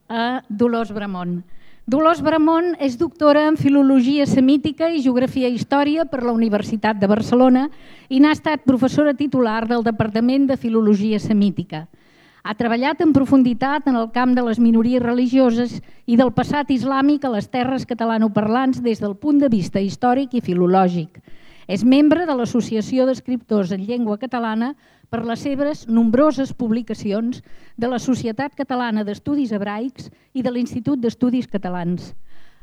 a Dolors Bramont. Dolors Bramont és doctora en Filologia Semítica i Geografia i Història per la Universitat de Barcelona i n'ha estat professora titular del Departament de Filologia Semítica. Ha treballat en profunditat en el camp de les minories religioses i del passat islàmic a les terres catalanoparlants des del punt de vista històric i filològic. És membre de l'Associació d'Escriptors en Llengua Catalana per les seves nombroses publicacions de la Societat Catalana d'Estudis Hebraics i de l'Institut d'Estudis Catalans.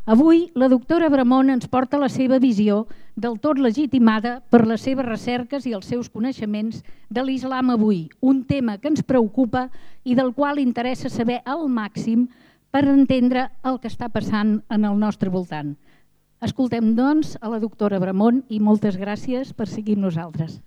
Avui, la doctora Bramont ens porta la seva visió del tot legitimada per les seves recerques i els seus coneixements de l'islam avui, un tema que ens preocupa i del qual interessa saber al màxim per entendre el que està passant en el nostre voltant. Escoltem, doncs, a la doctora Bramont i moltes gràcies per seguir amb nosaltres.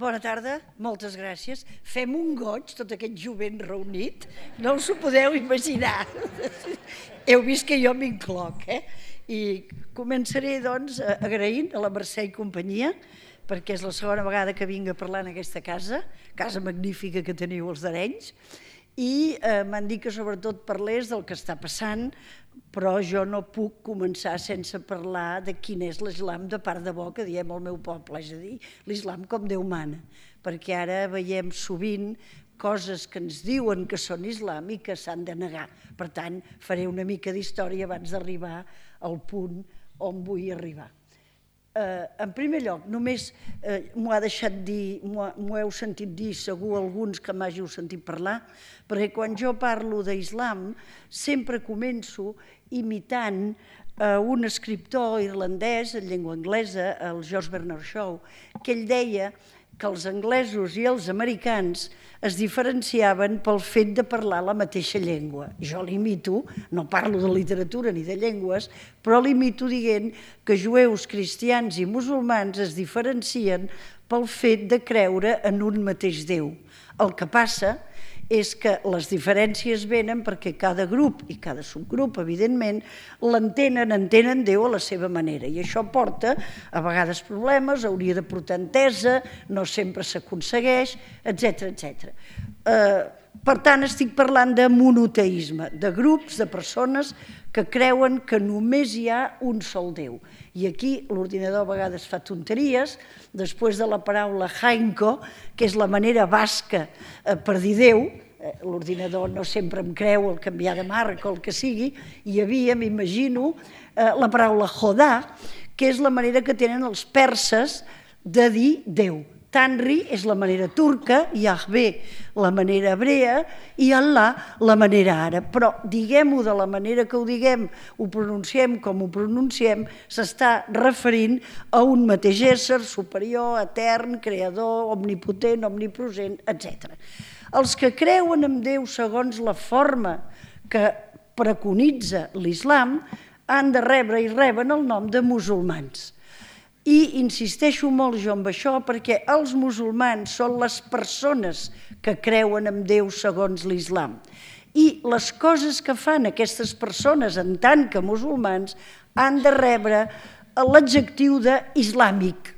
Bona tarda, moltes gràcies. Fem un goig, tot aquest jovent reunit, no us ho podeu imaginar. Heu vist que jo m'incloc, I començaré, doncs, agraint a la Mercè i companyia, perquè és la segona vegada que vinc a parlar en aquesta casa magnífica que teniu els d'Arenys, i m'han dit que sobretot parlés del que està passant, però jo no puc començar sense parlar de quin és l'islam de part de bo que diem al meu poble, és a dir, l'islam com Déu mana, perquè ara veiem sovint coses que ens diuen que són islam i que s'han de negar. Per tant, faré una mica d'història abans d'arribar al punt on vull arribar. En primer lloc, només m'ho heu sentit dir segur alguns que m'hàgiu sentit parlar, perquè quan jo parlo d'islam sempre començo imitant un escriptor irlandès en llengua anglesa, el George Bernard Shaw, que ell deia que els anglesos i els americans es diferenciaven pel fet de parlar la mateixa llengua. Jo l'imito, no parlo de literatura ni de llengües, però l'imito dient que jueus, cristians i musulmans es diferencien pel fet de creure en un mateix Déu. El que passa és que les diferències venen perquè cada grup i cada subgrup, evidentment, entenen Déu a la seva manera. I això porta a vegades problemes, hauria de portar entesa, no sempre s'aconsegueix, etc. Per tant, estic parlant de monoteisme, de grups, de persones que creuen que només hi ha un sol Déu. I aquí l'ordinador a vegades fa tonteries, després de la paraula jainko, que és la manera basca per dir Déu, l'ordinador no sempre em creu el canviar de marca o el que sigui, hi havia, m'imagino, la paraula jodà, que és la manera que tenen els perses de dir Déu. Tanri és la manera turca, Yahvé la manera hebrea i Allah la manera àrab. Però diguem-ho de la manera que ho diguem, ho pronunciem com ho pronunciem, s'està referint a un mateix ésser superior, etern, creador, omnipotent, omnipresent, etc. Els que creuen en Déu segons la forma que preconitza l'islam han de rebre i reben el nom de musulmans. I insisteixo molt jo amb això perquè els musulmans són les persones que creuen en Déu segons l'islam. I les coses que fan aquestes persones en tant que musulmans han de rebre l'adjectiu d'islàmic.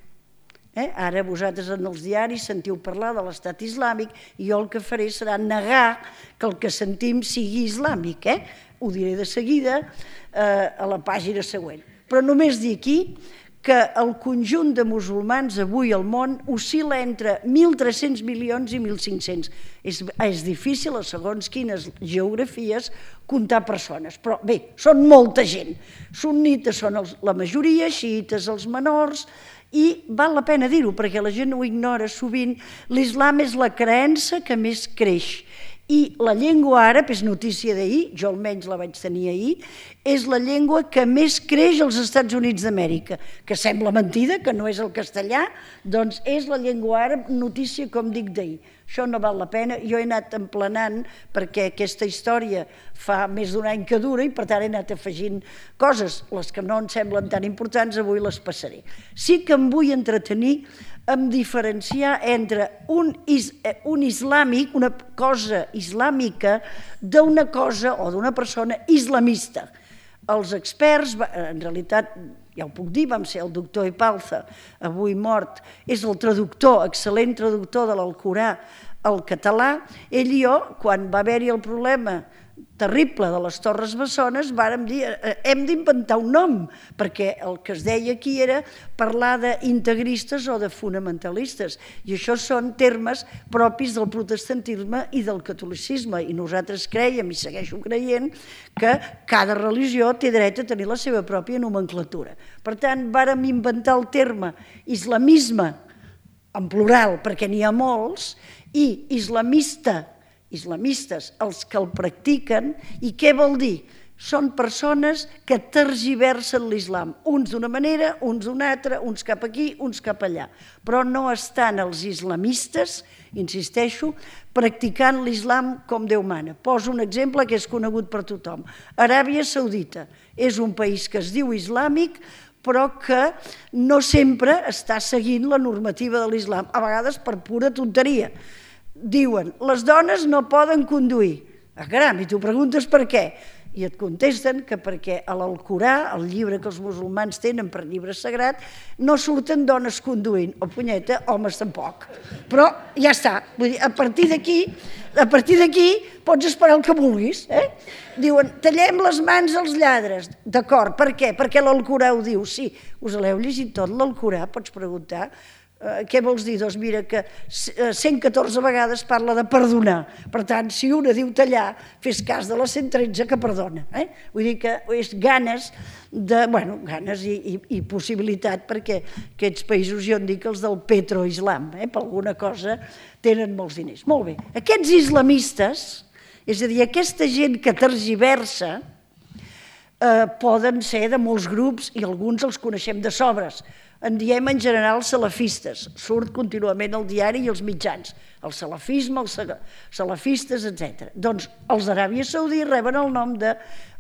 Ara vosaltres en els diaris sentiu parlar de l'estat islàmic i jo el que faré serà negar que el que sentim sigui islàmic. Ho diré de seguida a la pàgina següent. Però només dir aquí que el conjunt de musulmans avui al món oscil·la entre 1.300 milions i 1.500. És difícil, a segons quines geografies, comptar persones. Però bé, són molta gent. Sunnites són la majoria, xiites els menors, i val la pena dir-ho perquè la gent ho ignora sovint. L'islam és la creença que més creix. I la llengua àrab, és notícia d'ahir, jo almenys la vaig tenir ahir, és la llengua que més creix als Estats Units d'Amèrica, que sembla mentida, que no és el castellà, doncs és la llengua àrab, notícia com dic d'ahir. Això no val la pena, jo he anat emplenant perquè aquesta història fa més d'un any que dura i per tant he anat afegint coses, les que no em semblen tan importants avui les passaré. Sí que em vull entretenir en diferenciar entre un islàmic, una cosa islàmica, d'una cosa o d'una persona islamista. Els experts, en realitat ja ho puc dir, vam ser el doctor Epalza, avui mort, és el traductor, excel·lent traductor de l'Alcorà al català. Ell i jo, quan va haver-hi el problema terrible de les Torres Bessones, vàrem dir, hem d'inventar un nom, perquè el que es deia aquí era parlar d'integristes o de fonamentalistes, i això són termes propis del protestantisme i del catolicisme, i nosaltres creiem, i segueixo creient, que cada religió té dret a tenir la seva pròpia nomenclatura. Per tant, vàrem inventar el terme islamisme, en plural, perquè n'hi ha molts, i islamistes, els que el practiquen. I què vol dir? Són persones que tergiversen l'islam, uns d'una manera, uns d'una altra, uns cap aquí, uns cap allà. Però no estan els islamistes, insisteixo, practicant l'islam com Déu mana. Poso un exemple que és conegut per tothom. Aràbia Saudita és un país que es diu islàmic, però que no sempre està seguint la normativa de l'islam, a vegades per pura tonteria. Diuen, les dones no poden conduir. Caram, i tu preguntes per què? I et contesten que perquè a l'Alcorà, el llibre que els musulmans tenen per llibre sagrat, no surten dones conduint, o punyeta, homes tampoc. Però ja està, vull dir, a partir d'aquí pots esperar el que vulguis. Diuen, tallem les mans als lladres. D'acord, per què? Perquè l'Alcorà ho diu. Sí, us l'heu llegit tot, l'Alcorà, pots preguntar. Què vols dir? Doncs mira que 114 vegades parla de perdonar. Per tant, si una diu tallar, fes cas de les 113 que perdona. Vull dir que és ganes i possibilitat, perquè aquests països, jo en dic els del petroislam, per alguna cosa tenen molts diners. Molt bé, aquests islamistes, és a dir, aquesta gent que tergiversa, poden ser de molts grups i alguns els coneixem de sobres. En diem en general salafistes, surt contínuament al diari i als mitjans, el salafisme, els salafistes, etc. Doncs els d'Aràbia Saudita reben el nom de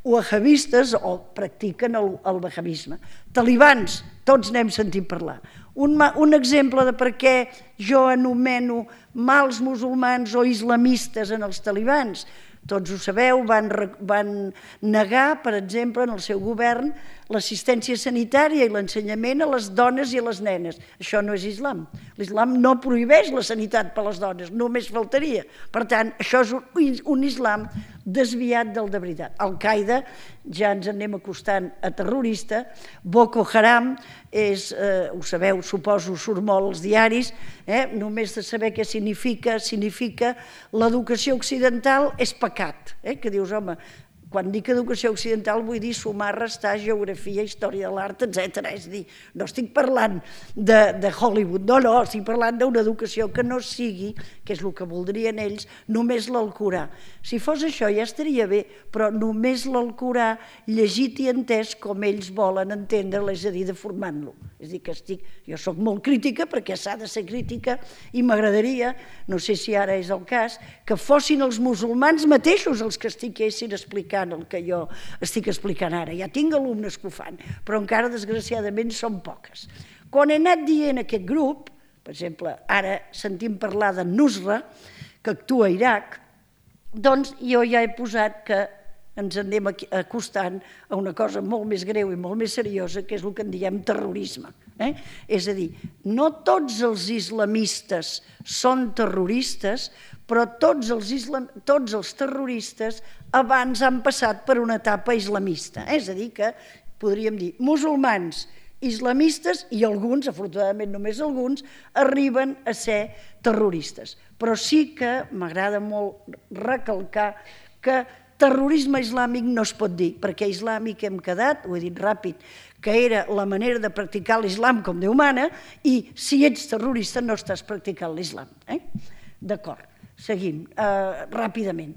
wahabistes o practiquen el wahabisme. Talibans, tots n'hem sentit parlar. Un exemple de per què jo anomeno mals musulmans o islamistes en els talibans. Tots ho sabeu, van negar, per exemple, en el seu govern, l'assistència sanitària i l'ensenyament a les dones i a les nenes. Això no és islam. L'islam no prohibeix la sanitat per a les dones, només faltaria. Per tant, això és un islam desviat del de veritat. Al-Qaeda, ja ens anem acostant a terrorista, Boko Haram és, ho sabeu, suposo, surt molt als diaris, només de saber què significa l'educació occidental és pecat, que dius, home, quan dic educació occidental vull dir sumar, restar, geografia, història de l'art, etc. És a dir, no estic parlant de Hollywood, no, estic parlant d'una educació que no sigui, que és el que voldrien ells, només l'Alcorà. Si fos això ja estaria bé, però només l'Alcorà llegit i entès com ells volen entendre-lo, és a dir, deformant-lo. És a dir, que jo soc molt crítica perquè s'ha de ser crítica i m'agradaria, no sé si ara és el cas, que fossin els musulmans mateixos els que estiguessin explicant el que jo estic explicant ara. Ja tinc alumnes que ho fan, però encara desgraciadament són poques. Quan he anat dient aquest grup, per exemple, ara sentim parlar de Nusra, que actua a Iraq, doncs jo ja he posat que ens anem acostant a una cosa molt més greu i molt més seriosa, que és el que en diem terrorisme. És a dir, no tots els islamistes són terroristes, però tots els terroristes abans han passat per una etapa islamista. És a dir, que podríem dir musulmans, islamistes i alguns, afortunadament només alguns, arriben a ser terroristes. Però sí que m'agrada molt recalcar que terrorisme islàmic no es pot dir, perquè islàmic hem quedat, ho he dit ràpid, que era la manera de practicar l'islam com Déu mana, i si ets terrorista no estàs practicant l'islam. D'acord, seguim ràpidament.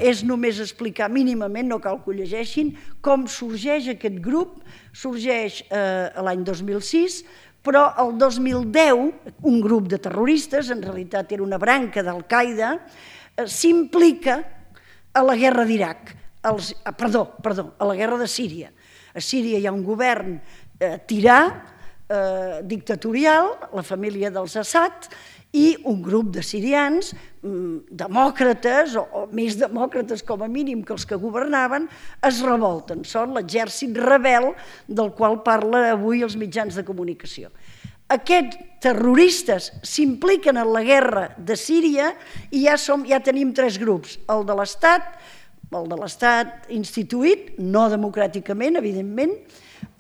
És només explicar mínimament, no cal que ho llegeixin, com sorgeix aquest grup. Sorgeix l'any 2006, però el 2010 un grup de terroristes, en realitat era una branca d'Al-Qaeda, s'implica a la guerra d'Iraq, a la guerra de Síria. A Síria hi ha un govern tirà, dictatorial, la família dels Assad, i un grup de sirians, demòcrates, o més demòcrates com a mínim que els que governaven, es revolten. Són l'exèrcit rebel del qual parla avui els mitjans de comunicació. Aquests terroristes s'impliquen en la guerra de Síria i ja tenim 3 grups. El de l'Estat instituït, no democràticament, evidentment,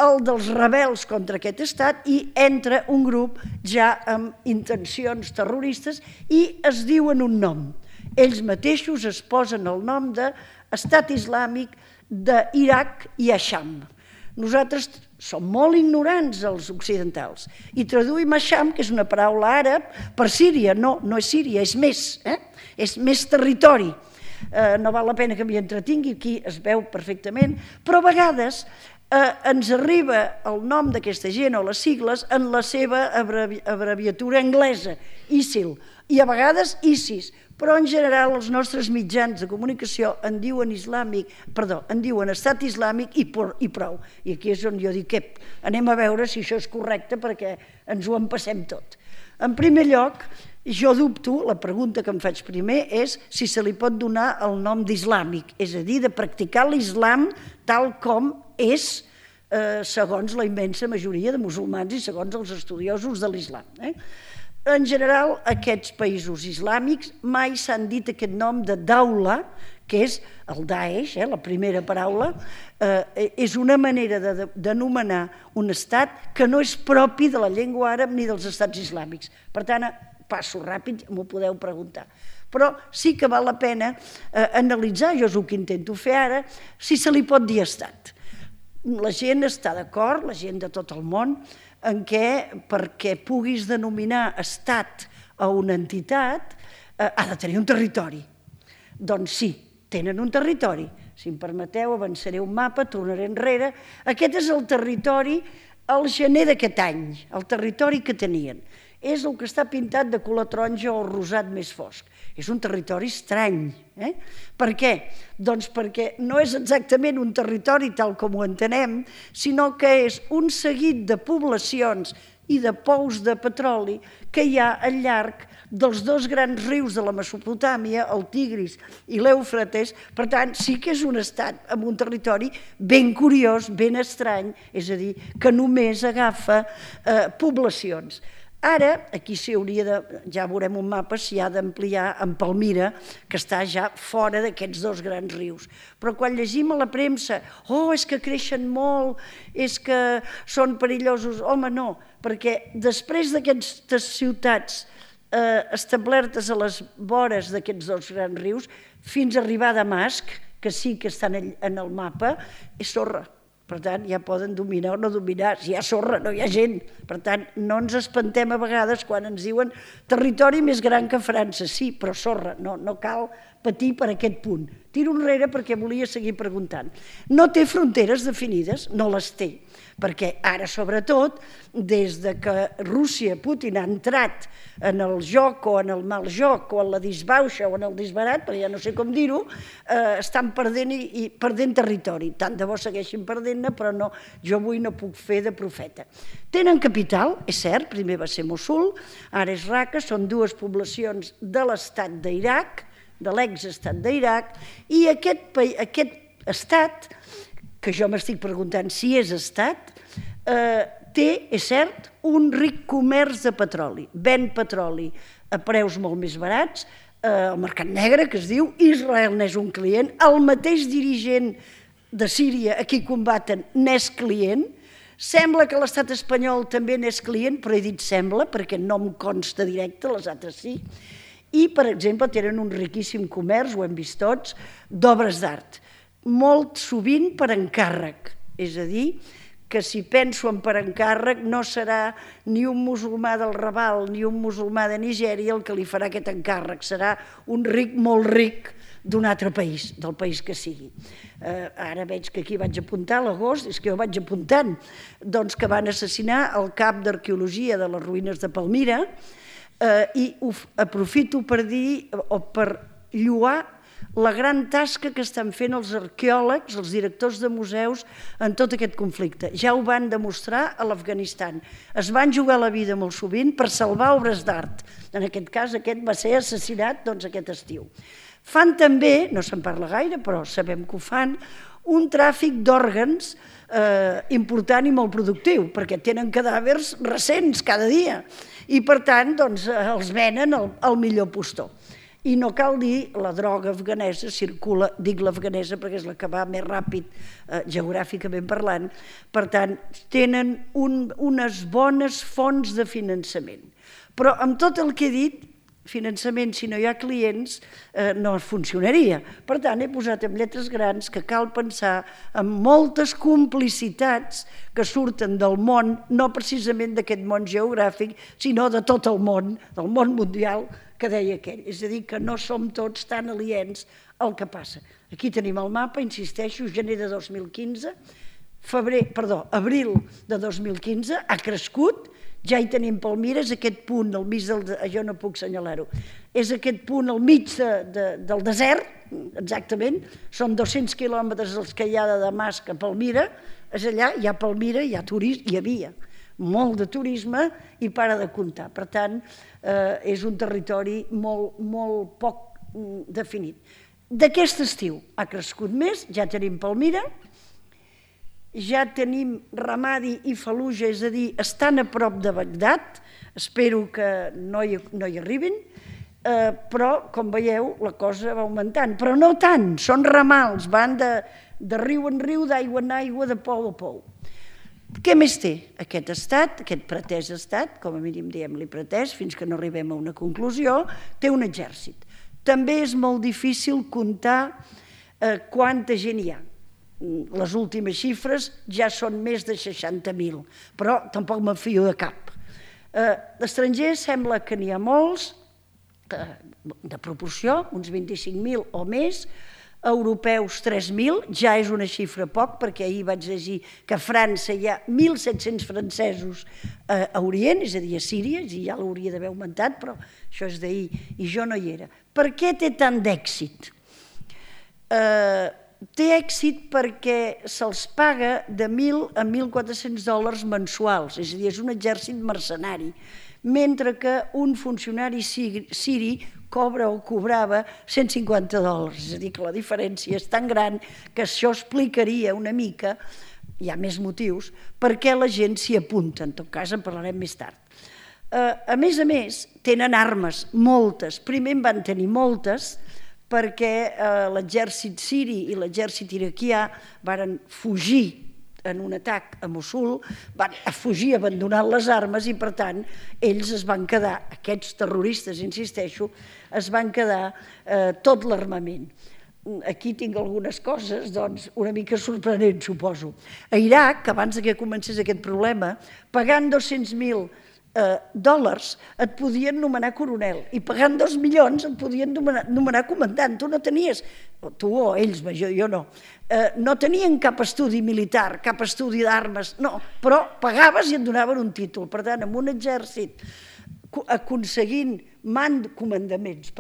el dels rebels contra aquest estat i entra un grup ja amb intencions terroristes i es diuen un nom. Ells mateixos es posen el nom d'Estat Islàmic d'Iraq i Asham. Nosaltres som molt ignorants, els occidentals, i traduïm Asham, que és una paraula àrab, per Síria. No és Síria, és més territori. No val la pena que m'hi entretingui, aquí es veu perfectament, però a vegades ens arriba el nom d'aquesta gent o les sigles en la seva abreviatura anglesa, ISIL, i a vegades ISIS, però en general els nostres mitjans de comunicació en diuen Estat Islàmic i prou. I aquí és on jo dic, anem a veure si això és correcte perquè ens ho empassem tot. En primer lloc, jo dubto, la pregunta que em faig primer és si se li pot donar el nom d'islàmic, és a dir, de practicar l'islam tal com és segons la immensa majoria de musulmans i segons els estudiosos de l'islam. En general, aquests països islàmics mai s'han dit aquest nom de daula, que és el Daesh, la primera paraula, és una manera d'anomenar un estat que no és propi de la llengua àrab ni dels estats islàmics. Per tant, passo ràpid, m'ho podeu preguntar. Però sí que val la pena analitzar, jo és el que intento fer ara, si se li pot dir estat. La gent està d'acord, la gent de tot el món, en què perquè puguis denominar estat a una entitat ha de tenir un territori. Doncs sí, tenen un territori. Si em permeteu, avançaré un mapa, tornaré enrere. Aquest és el territori al gener d'aquest any, el territori que tenien. És el que està pintat de color taronja o rosat més fosc. És un territori estrany. Per què? Doncs perquè no és exactament un territori tal com ho entenem, sinó que és un seguit de poblacions i de pous de petroli que hi ha al llarg dels 2 grans rius de la Mesopotàmia, el Tigris i l'Eufrates. Per tant, sí que és un estat amb un territori ben curiós, ben estrany, és a dir, que només agafa poblacions. Ara, aquí ja veurem un mapa, s'hi ha d'ampliar en Palmira, que està ja fora d'aquests 2 grans rius. Però quan llegim a la premsa, és que creixen molt, és que són perillosos, home, no, perquè després d'aquestes ciutats establertes a les vores d'aquests 2 grans rius, fins a arribar a Damasc, que sí que estan en el mapa, és sorra. Per tant, ja poden dominar o no dominar. Si hi ha sorra, no hi ha gent. Per tant, no ens espantem a vegades quan ens diuen territori més gran que França. Sí, però sorra, no cal patir per aquest punt. Tiro enrere perquè volia seguir preguntant. No té fronteres definides, no les té, perquè ara, sobretot, des que Rússia, Putin, ha entrat en el joc o en el mal joc o en la disbauxa o en el disbarat, però ja no sé com dir-ho, estan perdent territori. Tant de bo segueixin perdent-ne, però no, jo avui no puc fer de profeta. Tenen capital, és cert, primer va ser Mossul, ara és Raqqa, són 2 poblacions de l'estat d'Iraq, de l'exestat d'Iraq, i aquest estat, que jo m'estic preguntant si és estat, té, és cert, un ric comerç de petroli. Ven petroli a preus molt més barats, al mercat negre, que es diu, Israel n'és un client, el mateix dirigent de Síria a qui combaten n'és client, sembla que l'estat espanyol també n'és client, però he dit sembla, perquè no em consta directe, les altres sí, i, per exemple, tenen un riquíssim comerç, ho hem vist tots, d'obres d'art, molt sovint per encàrrec, és a dir, que si penso en per encàrrec no serà ni un musulmà del Raval ni un musulmà de Nigèria el que li farà aquest encàrrec, serà un ric molt ric d'un altre país, del país que sigui. Ara veig que aquí vaig apuntar a l'agost, és que jo vaig apuntant, doncs que van assassinar el cap d'arqueologia de les ruïnes de Palmira, i aprofito per dir o per lloar la gran tasca que estan fent els arqueòlegs, els directors de museus en tot aquest conflicte. Ja ho van demostrar a l'Afganistan. Es van jugar la vida molt sovint per salvar obres d'art. En aquest cas, aquest va ser assassinat aquest estiu. Fan també, no se'n parla gaire, però sabem que ho fan, un tràfic d'òrgans important i molt productiu, perquè tenen cadàvers recents cada dia i, per tant, els venen al millor postor. I no cal dir, la droga afganesa circula, dic l'afganesa perquè és la que va més ràpid geogràficament parlant, per tant, tenen unes bones fonts de finançament. Però amb tot el que he dit, finançament, si no hi ha clients, no funcionaria. Per tant, he posat en lletres grans que cal pensar en moltes complicitats que surten del món, no precisament d'aquest món geogràfic, sinó de tot el món, del món mundial, que deia aquell. És a dir, que no som tots tan aliens al que passa. Aquí tenim el mapa, insisteixo, gener de 2015, abril de 2015, ha crescut, ja hi tenim Palmira, és aquest punt al mig del... Jo no puc assenyalar-ho. És aquest punt al mig del desert, exactament, són 200 quilòmetres els que hi ha de Damasc a Palmira, és allà, hi ha Palmira, hi ha turisme, hi havia molt de turisme i para de comptar. Per tant, és un territori molt poc definit. D'aquest estiu ha crescut més, ja tenim Palmira, ja tenim Ramadi i Fallujah, és a dir, estan a prop de Bagdad, espero que no hi arribin, però, com veieu, la cosa va augmentant. Però no tant, són ramals, van de riu en riu, d'aigua en aigua, de pou a pou. Què més té aquest estat, aquest pretès estat, com a mínim diem-li pretès, fins que no arribem a una conclusió, té un exèrcit. També és molt difícil comptar quanta gent hi ha. Les últimes xifres ja són més de 60.000, però tampoc me'n fio de cap. D'estrangers sembla que n'hi ha molts, de proporció, uns 25.000 o més, europeus 3.000, ja és una xifra poc, perquè ahir vaig llegir que a França hi ha 1.700 francesos a Orient, és a dir, a Síria, i ja l'hauria d'haver augmentat, però això és d'ahir i jo no hi era. Per què té tant d'èxit? Té èxit perquè se'ls paga de 1.000 a 1.400 dòlars mensuals, és a dir, és un exèrcit mercenari, mentre que un funcionari siri cobra o cobrava 150 dòlars, és a dir, que la diferència és tan gran que això explicaria una mica, hi ha més motius, per què la gent s'hi apunta, en tot cas en parlarem més tard. A més, tenen armes, moltes, primer en van tenir moltes, perquè l'exèrcit siri i l'exèrcit iraquià van fugir en un atac a Mossul, van fugir abandonant les armes i, per tant, ells es van quedar, aquests terroristes, insisteixo, es van quedar tot l'armament. Aquí tinc algunes coses, doncs, una mica sorprenents, suposo. A Iraq, abans que comencés aquest problema, pagant 200.000 dòlars et podien nomenar coronel i pagant 2 milions et podien nomenar comandant. Tu no tenies, tu o ells, jo no, no tenien cap estudi militar, cap estudi d'armes, no, però pagaves i et donaven un títol. Per tant, amb un exèrcit aconseguint comandaments,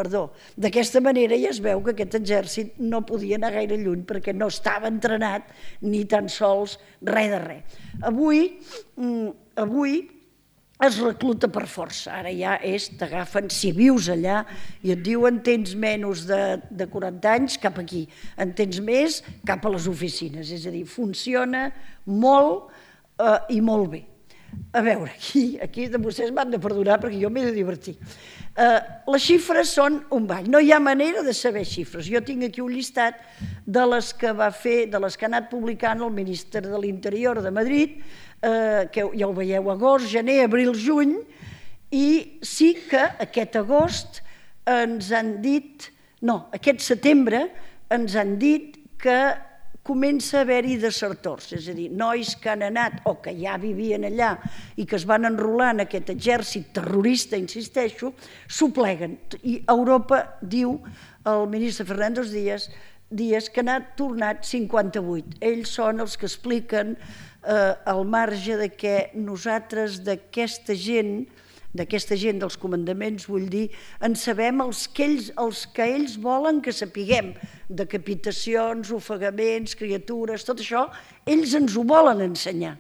d'aquesta manera ja es veu que aquest exèrcit no podia anar gaire lluny perquè no estava entrenat ni tan sols res de res. Avui es recluta per força, ara ja t'agafen, si vius allà i et diuen tens menys de 40 anys, cap aquí, en tens més, cap a les oficines, és a dir, funciona molt i molt bé. A veure, aquí de vostès m'han de perdonar perquè jo m'he de divertir. Les xifres són un ball, no hi ha manera de saber xifres. Jo tinc aquí un llistat de les que va fer, de les que ha anat publicant el ministre de l'Interior de Madrid, que ja ho veieu, agost, gener, abril, juny, i sí que aquest agost ens han dit, no, aquest setembre ens han dit que comença a haver-hi desertors, és a dir, nois que han anat o que ja vivien allà i que es van enrolar en aquest exèrcit terrorista, insisteixo, s'ho pleguen. I Europa diu, el ministre Fernández Díaz, que n'ha tornat 58. Ells són els que expliquen al marge de que nosaltres d'aquesta gent d'aquesta gent dels comandaments, vull dir, en sabem els que ells volen que sapiguem, decapitacions, ofegaments, criatures, tot això, ells ens ho volen ensenyar.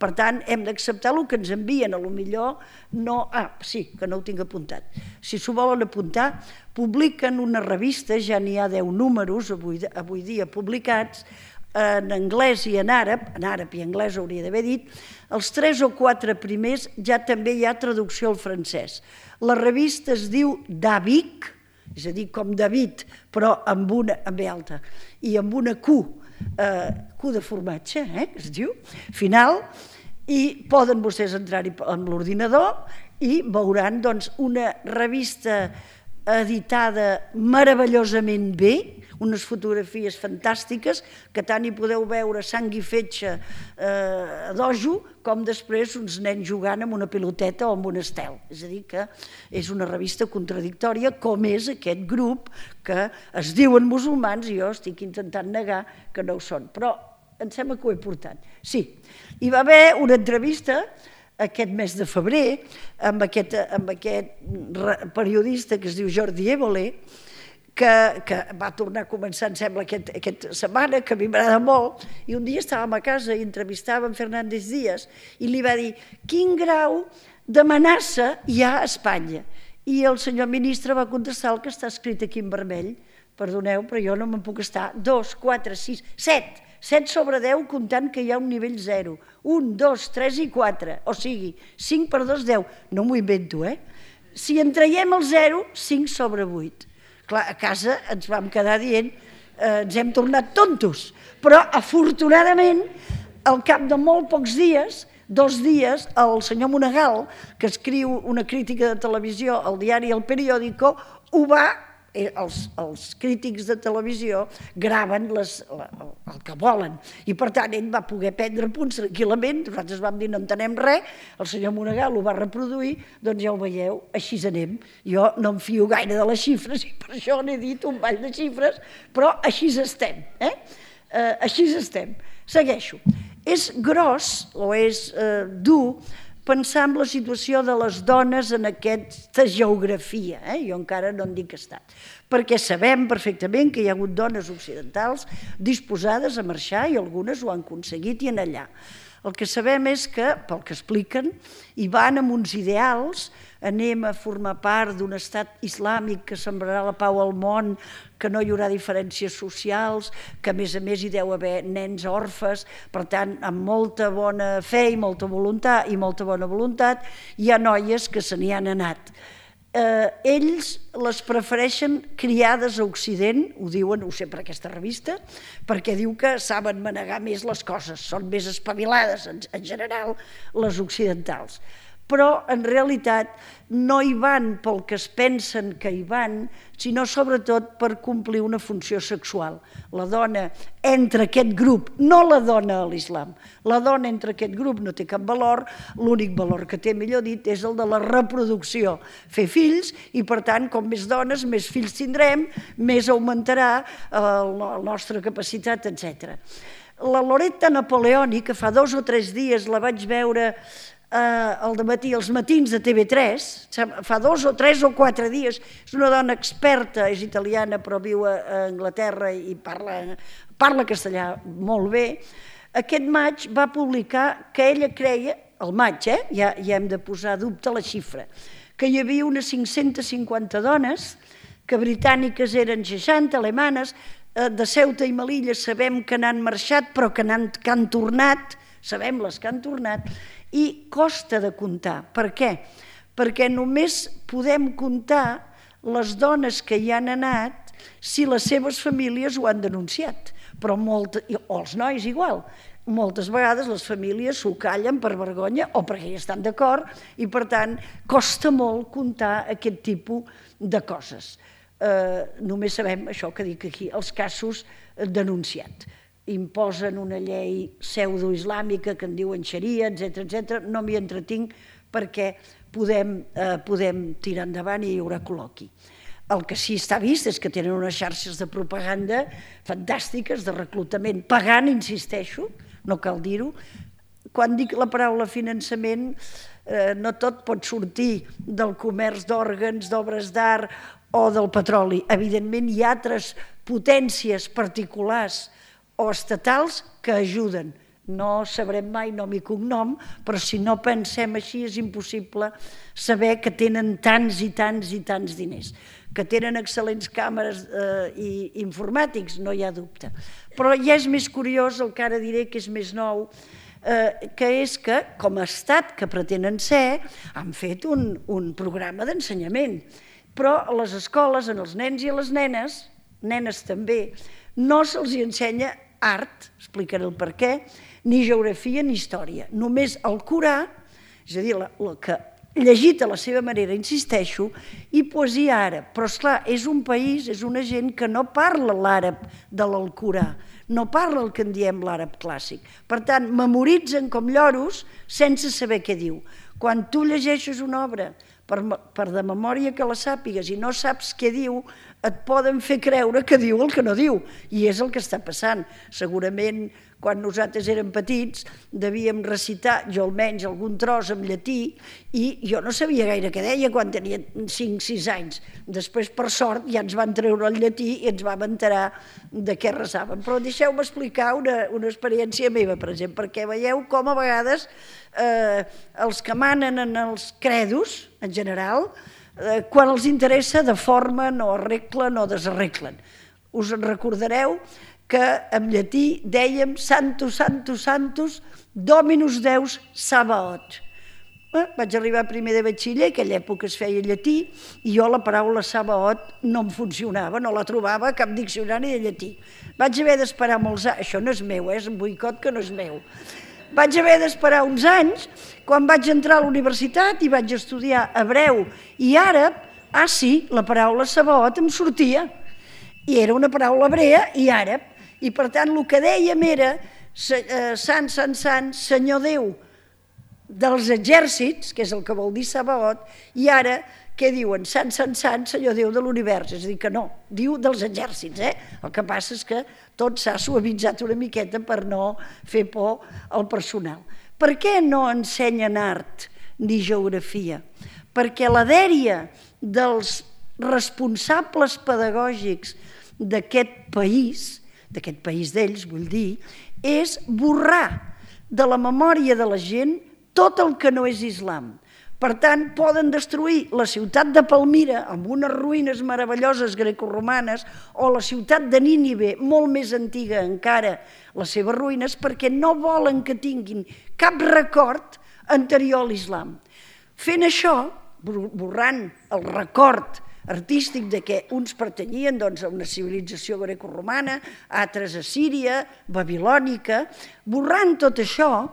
Per tant, hem d'acceptar el que ens envien, a lo millor no... sí, que no ho tinc apuntat. Si s'ho volen apuntar, publiquen una revista, ja n'hi ha 10 números avui dia publicats, en anglès i en àrab i anglès hauria d'haver dit, els 3 o 4 primers ja també hi ha traducció al francès. La revista es diu Davic, és a dir, com David, però amb una B alta, i amb una Q de formatge, es diu, final, i poden vostès entrar-hi amb l'ordinador i veuran una revista editada meravellosament bé, unes fotografies fantàstiques, que tant hi podeu veure sang i fetge d'ojo, com després uns nens jugant amb una piloteta o amb un estel. És a dir, que és una revista contradictòria, com és aquest grup que es diuen musulmans, i jo estic intentant negar que no ho són. Però em sembla que ho he portat. Sí, hi va haver una entrevista aquest mes de febrer amb aquest periodista que es diu Jordi Évole, que va tornar a començar, em sembla, aquesta setmana, que a mi m'agrada molt, i un dia estàvem a casa i entrevistàvem Fernández Díaz i li va dir quin grau d'amenaça hi ha a Espanya. I el senyor ministre va contestar el que està escrit aquí en vermell. Perdoneu, però jo no me'n puc estar. 2, 4, 6, 7. 7 sobre 10 comptant que hi ha un nivell 0. 1, 2, 3 i 4. O sigui, 5 per 2, 10. No m'ho invento, Si en traiem el 0, 5 sobre 8. Clar, a casa ens vam quedar dient ens hem tornat tontos. Però, afortunadament, al cap de molt pocs dies, 2 dies, el senyor Monegal, que escriu una crítica de televisió al diari El Periódico, ho va... Els crítics de televisió graven el que volen i per tant ell va poder prendre punts tranquil·lament, nosaltres vam dir no entenem res, el senyor Monegal ho va reproduir, doncs ja ho veieu, així anem. Jo no em fio gaire de les xifres i per això n'he dit un ball de xifres, però així estem, així estem. Segueixo. És gros o és dur pensar en la situació de les dones en aquesta geografia, jo encara no en dic estat, perquè sabem perfectament que hi ha hagut dones occidentals disposades a marxar i algunes ho han aconseguit i en allà. El que sabem és que, pel que expliquen, hi van amb uns ideals, anem a formar part d'un estat islàmic que sembrarà la pau al món, que no hi haurà diferències socials, que a més hi deu haver nens orfes, per tant, amb molta bona fe i molta voluntat, hi ha noies que se n'hi han anat. Ells les prefereixen criades a Occident, ho diuen, ho sé per aquesta revista, perquè diu que saben manegar més les coses, són més espavilades en general les occidentals. Però en realitat no hi van pel que es pensen que hi van, sinó sobretot per complir una funció sexual. La dona entra aquest grup, no la dona a l'islam, la dona entra aquest grup no té cap valor, l'únic valor que té, millor dit, és el de la reproducció, fer fills, i per tant, com més dones, més fills tindrem, més augmentarà la nostra capacitat, etc. La Loretta Napoleoni, que fa 2 o 3 dies la vaig veure al dematí, als matins de TV3, fa 2 o 3 o 4 dies, és una dona experta, és italiana però viu a Anglaterra i parla castellà molt bé. Aquest maig va publicar que ella creia, al maig, ja hem de posar a dubte la xifra, que hi havia unes 550 dones, que britàniques eren 60, alemanes, de Ceuta i Melilla sabem que n'han marxat però que han tornat, sabem les que han tornat, i costa de comptar. Per què? Perquè només podem comptar les dones que hi han anat si les seves famílies ho han denunciat, però o els nois igual. Moltes vegades les famílies s'ho callen per vergonya o perquè hi estan d'acord i per tant costa molt comptar aquest tipus de coses. Només sabem això que dic aquí, els casos denunciats. Imposen una llei pseudoislàmica que en diuen xaria, etc. No m'hi entretinc perquè podem tirar endavant i hi haurà col·loqui. El que sí està vist és que tenen unes xarxes de propaganda fantàstiques, de reclutament, pagant, insisteixo, no cal dir-ho, quan dic la paraula finançament, no tot pot sortir del comerç d'òrgans, d'obres d'art o del petroli. Evidentment hi ha altres potències particulars o estatals que ajuden. No sabrem mai nom i cognom, però si no pensem així és impossible saber que tenen tants i tants i tants diners. Que tenen excel·lents càmeres i informàtics, no hi ha dubte. Però ja és més curiós, el que ara diré que és més nou, que és que, com a estat que pretenen ser, han fet un programa d'ensenyament. Però a les escoles, als nens i a les nenes també, no se'ls ensenya art, explicaré el per què, ni geografia ni història. Només el Corà, és a dir, el que llegit a la seva manera, insisteixo, i poesia àrab. Però, esclar, és un país, és una gent que no parla l'àrab de l'Alcorà, no parla el que en diem l'àrab clàssic. Per tant, memoritzen com lloros sense saber què diu. Quan tu llegeixes una obra per de memòria que la sàpigues i no saps què diu, et poden fer creure que diu el que no diu, i és el que està passant. Segurament, quan nosaltres érem petits, devíem recitar, jo almenys, algun tros en llatí, i jo no sabia gaire què deia quan tenia 5-6 anys. Després, per sort, ja ens van treure el llatí i ens vam enterar de què resàvem. Però deixeu-me explicar una experiència meva, per exemple, perquè veieu com a vegades els que manen en els credos, en general, quan els interessa deformen o arreglen o desarreglen. Us en recordareu que en llatí dèiem Santus, Santus, Santus, Dominus Deus Sabaoth. Vaig arribar a primer de batxiller, en aquella època es feia llatí, i jo la paraula Sabaoth no em funcionava, no la trobava a cap diccionari de llatí. Vaig haver d'esperar molts anys, això no és meu, és un boicot que no és meu. Vaig haver d'esperar uns anys, quan vaig entrar a la universitat i vaig estudiar hebreu i àrab, sí, la paraula Sabaoth em sortia, i era una paraula hebrea i àrab, i per tant el que dèiem era Sant, Sant, Sant, Senyor Déu dels exèrcits, que és el que vol dir Sabaoth, i ara què diuen? Sant, Sant, Sant, Senyor Déu de l'univers, és a dir que no, diu dels exèrcits, El que passa és que tot s'ha suavitzat una miqueta per no fer por al personal. Per què no ensenyen art ni geografia? Perquè la dèria dels responsables pedagògics d'aquest país d'ells, vull dir, és borrar de la memòria de la gent tot el que no és islam. Per tant, poden destruir la ciutat de Palmira amb unes ruïnes meravelloses grecorromanes o la ciutat de Nínive, molt més antiga encara, les seves ruïnes, perquè no volen que tinguin cap record anterior a l'islam. Fent això, borrant el record artístic de què uns pertanyien a una civilització grecorromana, altres a Síria, babilònica, borrant tot això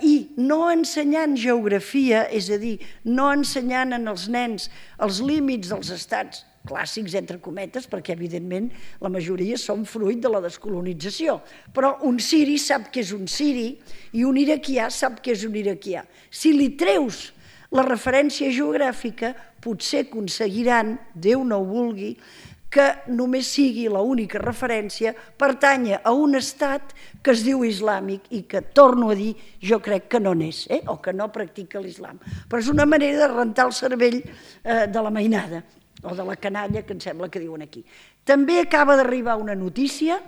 i no ensenyant geografia, és a dir, no ensenyant als nens els límits dels estats clàssics, entre cometes, perquè evidentment la majoria són fruit de la descolonització, però un siri sap què és un siri i un iraquià sap què és un iraquià. Si li treus la referència geogràfica, potser aconseguiran, Déu no ho vulgui, que només sigui l'única referència, pertanya a un estat que es diu islàmic i que, torno a dir, jo crec que no n'és, o que no practica l'islam. Però és una manera de rentar el cervell de la mainada, o de la canalla, que em sembla que diuen aquí. També acaba d'arribar una notícia,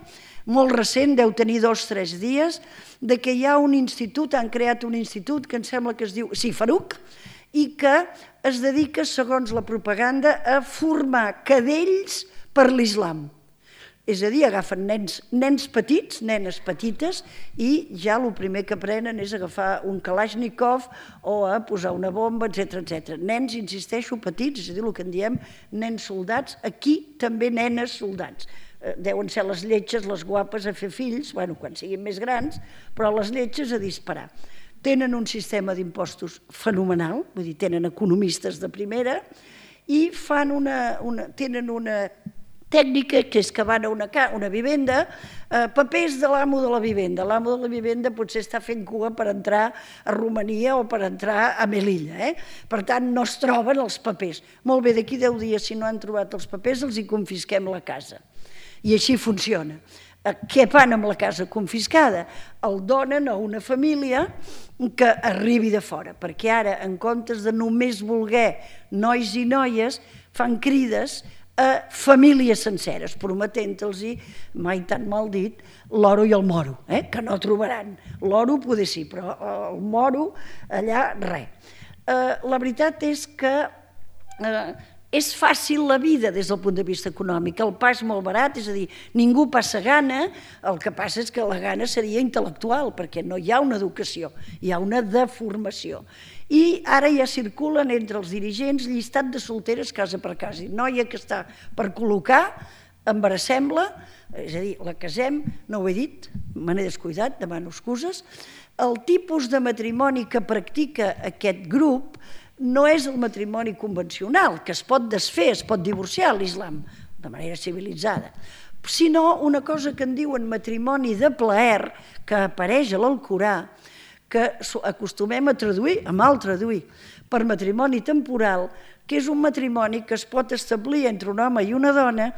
molt recent, deu tenir 2 o 3 dies, de que hi ha un institut, han creat un institut que em sembla que es diu Faruc, i que es dedica, segons la propaganda, a formar cadells per l'islam. És a dir, agafen nens petits, nenes petites, i ja el primer que aprenen és agafar un Kalashnikov o a posar una bomba, etc. Nens, insisteixo, petits, és a dir, el que en diem nens soldats, aquí també nenes soldats. Deuen ser les lletges, les guapes a fer fills, quan siguin més grans, però les lletges a disparar. Tenen un sistema d'impostos fenomenal, vull dir, tenen economistes de primera, i tenen una tècnica que és que van a una vivenda, papers de l'amo de la vivenda. L'amo de la vivenda potser està fent cua per entrar a Romania o per entrar a Melilla. Per tant, no es troben els papers. Molt bé, d'aquí 10 dies, si no han trobat els papers, els hi confisquem la casa. I així funciona. què fan amb la casa confiscada? El donen a una família que arribi de fora, perquè ara, en comptes de només voler nois i noies, fan crides a famílies senceres, prometent-los, mai tan mal dit, l'oro i el moro, que no trobaran. L'oro poder sí, però el moro allà res. La veritat és que és fàcil la vida des del punt de vista econòmic, el pa és molt barat, és a dir, ningú passa gana, el que passa és que la gana seria intel·lectual, perquè no hi ha una educació, hi ha una deformació. I ara ja circulen entre els dirigents llistat de solteres casa per casa, noia que està per col·locar, embarassem-la, és a dir, la casem, no ho he dit, me n'he descuidat, demano excuses. El tipus de matrimoni que practica aquest grup no és el matrimoni convencional, que es pot desfer, es pot divorciar a l'islam, de manera civilitzada, sinó una cosa que en diuen matrimoni de plaer, que apareix a l'Alcorà, que acostumem a traduir, a mal traduir, per matrimoni temporal, que és un matrimoni que es pot establir entre un home i una dona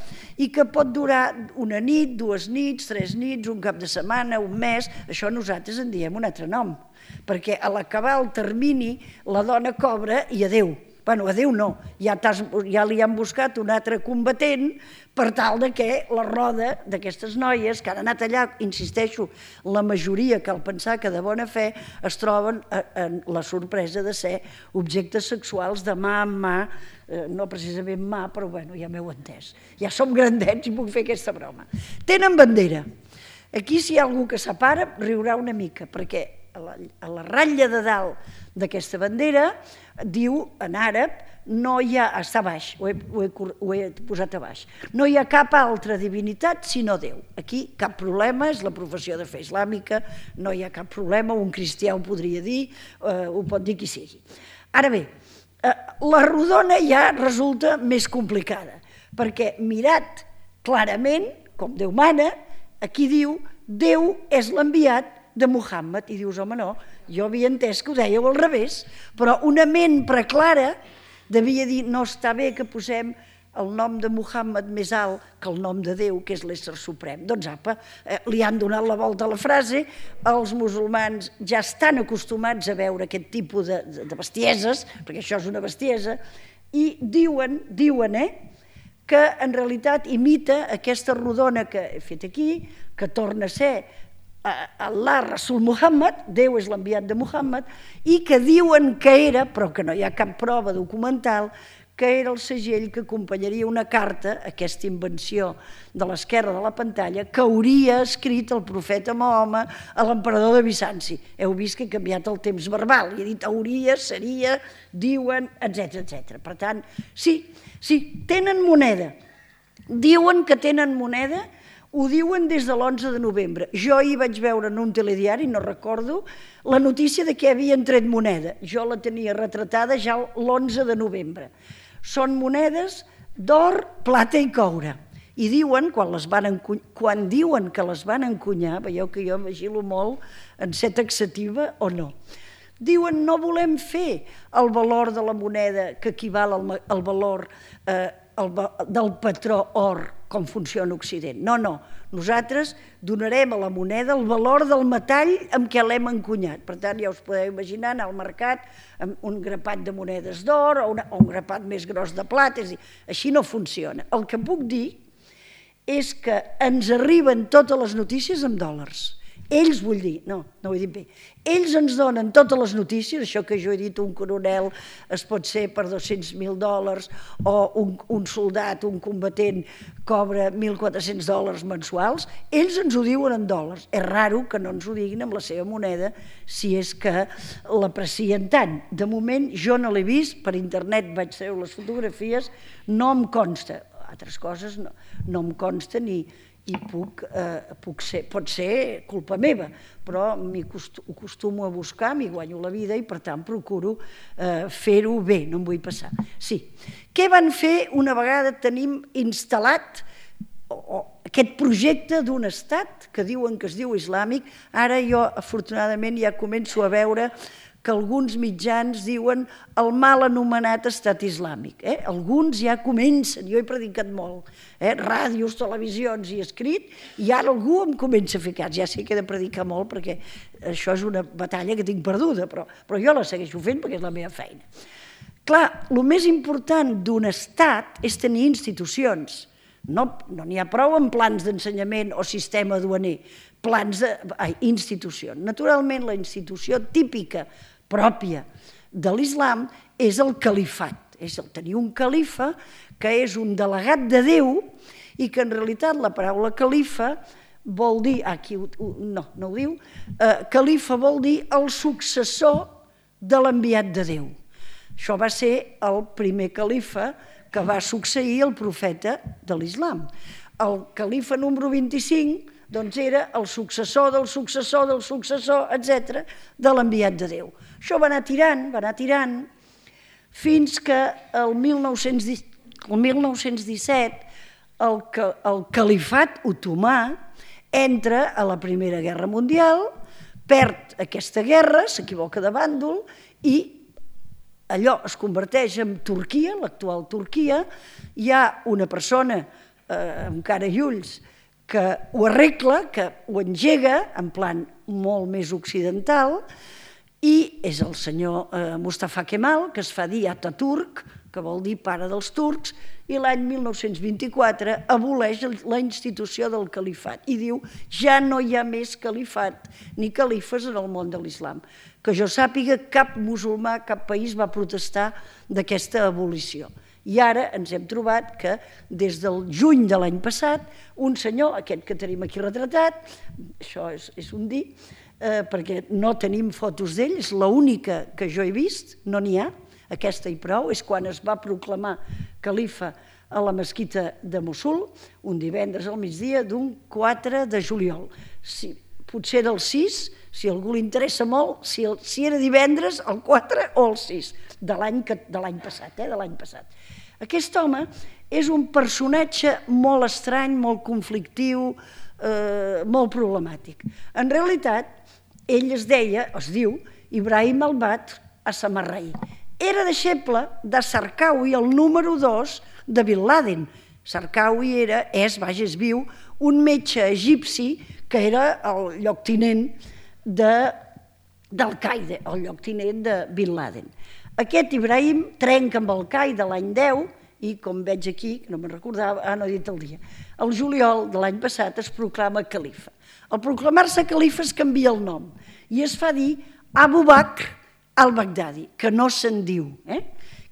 i que pot durar una nit, 2 nits, 3 nits, un cap de setmana, un mes, això nosaltres en diem un altre nom, perquè a l'acabar el termini la dona cobra i adéu. Bueno, adéu no, ja li han buscat un altre combatent per tal que la roda d'aquestes noies que han anat allà, insisteixo, la majoria cal pensar que de bona fe es troben en la sorpresa de ser objectes sexuals de mà en mà, no precisament mà, però bueno, ja m'heu entès. Ja som grandets i puc fer aquesta broma. Tenen bandera. Aquí si hi ha algú que separa riurà una mica, perquè a la ratlla de dalt d'aquesta bandera diu en àrab, no hi ha, està a baix, ho he posat a baix, no hi ha cap altra divinitat sinó Déu. Aquí cap problema, és la professió de fe islàmica, no hi ha cap problema, un cristià ho podria dir, ho pot dir qui sigui. Ara bé, la rodona ja resulta més complicada, perquè mirat clarament, com Déu mana, aquí diu Déu és l'enviat de Muhammad, i dius, home, no, jo havia entès que ho dèieu al revés, però una ment preclara devia dir, no està bé que posem el nom de Muhammad més alt que el nom de Déu, que és l'ésser suprem. Doncs apa, li han donat la volta a la frase, els musulmans ja estan acostumats a veure aquest tipus de bestieses, perquè això és una bestiesa, i diuen que en realitat imita aquesta rodona que he fet aquí, que torna a ser Allah Rasul Muhammad, Déu és l'enviat de Muhammad, i que diuen que era, però que no hi ha cap prova documental, que era el segell que acompanyaria una carta, aquesta invenció de l'esquerra de la pantalla, que hauria escrit el profeta Mahoma a l'emperador de Bizanci. Heu vist que he canviat el temps verbal, i he dit hauria, seria, diuen, etc. Per tant, sí, tenen moneda. Diuen que tenen moneda. Ho diuen des de l'11 de novembre. Jo ahir vaig veure en un telediari, no recordo, la notícia de que havien tret moneda. Jo la tenia retratada ja l'11 de novembre. Són monedes d'or, plata i coure. I diuen, quan diuen que les van encunyar, veieu que jo vigilo molt en ser taxativa o no, diuen no volem fer el valor de la moneda que equival al valor del patró or com funciona Occident. No, nosaltres donarem a la moneda el valor del metall amb què l'hem encunyat. Per tant, ja us podeu imaginar anar al mercat amb un grapat de monedes d'or o un grapat més gros de plata, és a dir, així no funciona. El que puc dir és que ens arriben totes les notícies en dòlars. Ells, vull dir, no ho he dit bé, ells ens donen totes les notícies, això que jo he dit, un coronel es pot ser per $200.000 o un soldat, un combatent cobra $1.400 mensuals, ells ens ho diuen en dòlars. És raro que no ens ho diguin amb la seva moneda si és que l'aprecien tant. De moment jo no l'he vist, per internet vaig treure les fotografies, no em consta, altres coses no em consta ni pot ser culpa meva, però ho acostumo a buscar, m'hi guanyo la vida i per tant procuro fer-ho bé, no em vull passar. Sí, què van fer una vegada tenim instal·lat aquest projecte d'un estat que diuen que es diu islàmic? Ara jo afortunadament ja començo a veure que alguns mitjans diuen el mal anomenat estat islàmic. Alguns ja comencen, jo he predicat molt, ràdios, televisions i escrit, i ara algú em comença a fer cas. Ja sé que he de predicar molt perquè això és una batalla que tinc perduda, però jo la segueixo fent perquè és la meva feina. Clar, el més important d'un estat és tenir institucions. No n'hi ha prou amb plans d'ensenyament o sistema duaner, institucions. Naturalment, la institució típica, pròpia de l'islam, és el califat. És tenir un califa que és un delegat de Déu i que en realitat la paraula califa vol dir, aquí no ho diu, califa vol dir el successor de l'enviat de Déu. Això va ser el primer califa que va succeir el profeta de l'islam. El califa número 25 doncs era el successor del successor del successor, etc., de l'enviat de Déu. Això va anar tirant, fins que el 1917 el califat otomà entra a la Primera Guerra Mundial, perd aquesta guerra, s'equivoca de bàndol, i allò es converteix en Turquia, l'actual Turquia. Hi ha una persona amb cara i ulls que ho arregla, que ho engega en plan molt més occidental, i és el senyor Mustafa Kemal, que es fa dir Ataturk, que vol dir pare dels turcs, i l'any 1924 aboleix la institució del califat i diu ja no hi ha més califat ni califes en el món de l'islam. Que jo sàpiga, cap musulmà, cap país va protestar d'aquesta abolició. I ara ens hem trobat que des del juny de l'any passat, un senyor, aquest que tenim aquí retratat, això és un dir, perquè no tenim fotos d'ell, és l'única que jo he vist, no n'hi ha, aquesta i prou, és quan es va proclamar califa a la mesquita de Mossul, un divendres al migdia d'un 4 de juliol. Potser era el 6, si a algú li interessa molt, si era divendres, el 4 o el 6, de l'any passat. Aquest home és un personatge molt estrany, molt conflictiu, molt problemàtic. En realitat, ell es diu Ibrahim al-Badr as-Samarrai. Era deixeble de Zarqawi, el número 2 de Bin Laden. Zarqawi és viu, un metge egipci que era el lloctinent d'Al-Qaeda, el lloctinent de Bin Laden. Aquest Ibrahim trenca amb Al-Qaeda l'any 10 i, com veig aquí, no me'n recordava, no he dit el dia, el juliol de l'any passat es proclama califa. Al proclamar-se califa es canvia el nom i es fa dir Abu Bakr al-Baghdadi, que no se'n diu.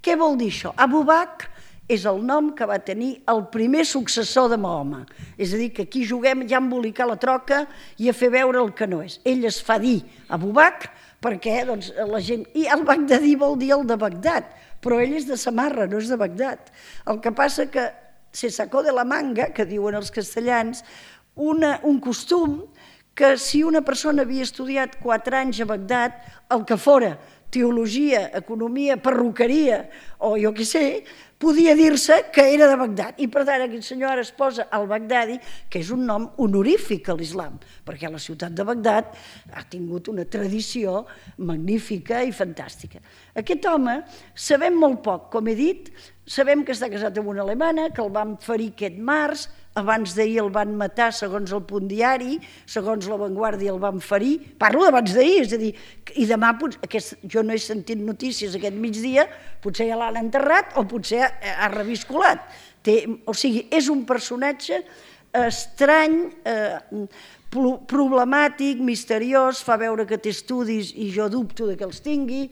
Què vol dir això? Abu Bakr és el nom que va tenir el primer successor de Mahoma. És a dir, que aquí juguem ja a embolicar la troca i a fer veure el que no és. Ell es fa dir Abu Bakr perquè la gent... I al-Baghdadi vol dir el de Bagdad, però ell és de Samarra, no és de Bagdad. El que passa que se sacó de la manga, que diuen els castellans, un costum que si una persona havia estudiat 4 anys a Bagdad, el que fora teologia, economia, perruqueria o jo què sé, podia dir-se que era de Bagdad. I per tant aquest senyor ara es posa al-Baghdadi, que és un nom honorífic a l'islam, perquè la ciutat de Bagdad ha tingut una tradició magnífica i fantàstica. Aquest home sabem molt poc, com he dit, sabem que està casat amb una alemana, que el van ferir aquest març, abans d'ahir el van matar, segons el Punt Diari, segons La Vanguardia el van ferir, parlo d'abans d'ahir, és a dir, i demà, jo no he sentit notícies aquest migdia, potser ja l'han enterrat o potser ha reviscolat. O sigui, és un personatge estrany, problemàtic, misteriós, fa veure que té estudis i jo dubto que els tingui.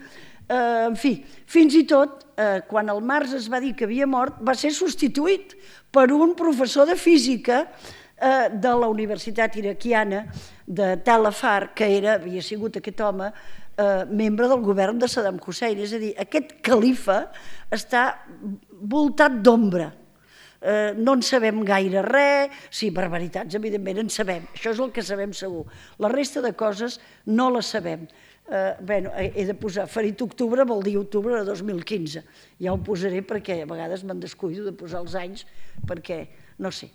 En fi, fins i tot, quan el març es va dir que havia mort, va ser substituït per un professor de física de la Universitat Iraquiana de Tal Afar, que havia sigut aquest home membre del govern de Saddam Hussein. És a dir, aquest califa està voltat d'ombra. No en sabem gaire res, sí, barbaritats, evidentment en sabem, això és el que sabem segur. La resta de coses no les sabem. he de posar ferit octubre, vol dir octubre de 2015. Ja ho posaré perquè a vegades me'n descuido de posar els anys, perquè no sé.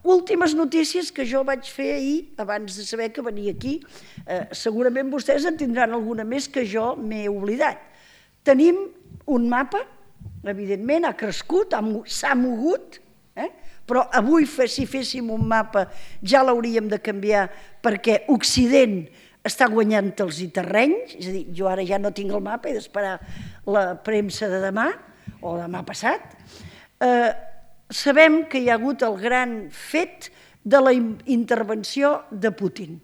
Últimes notícies que jo vaig fer ahir, abans de saber que venia aquí. Segurament vostès en tindran alguna més que jo m'he oblidat. Tenim un mapa, evidentment, ha crescut, s'ha mogut, però avui si féssim un mapa ja l'hauríem de canviar perquè Occident està guanyant els terrenys, és a dir, jo ara ja no tinc el mapa, he d'esperar la premsa de demà o demà passat. Sabem que hi ha hagut el gran fet de la intervenció de Putin.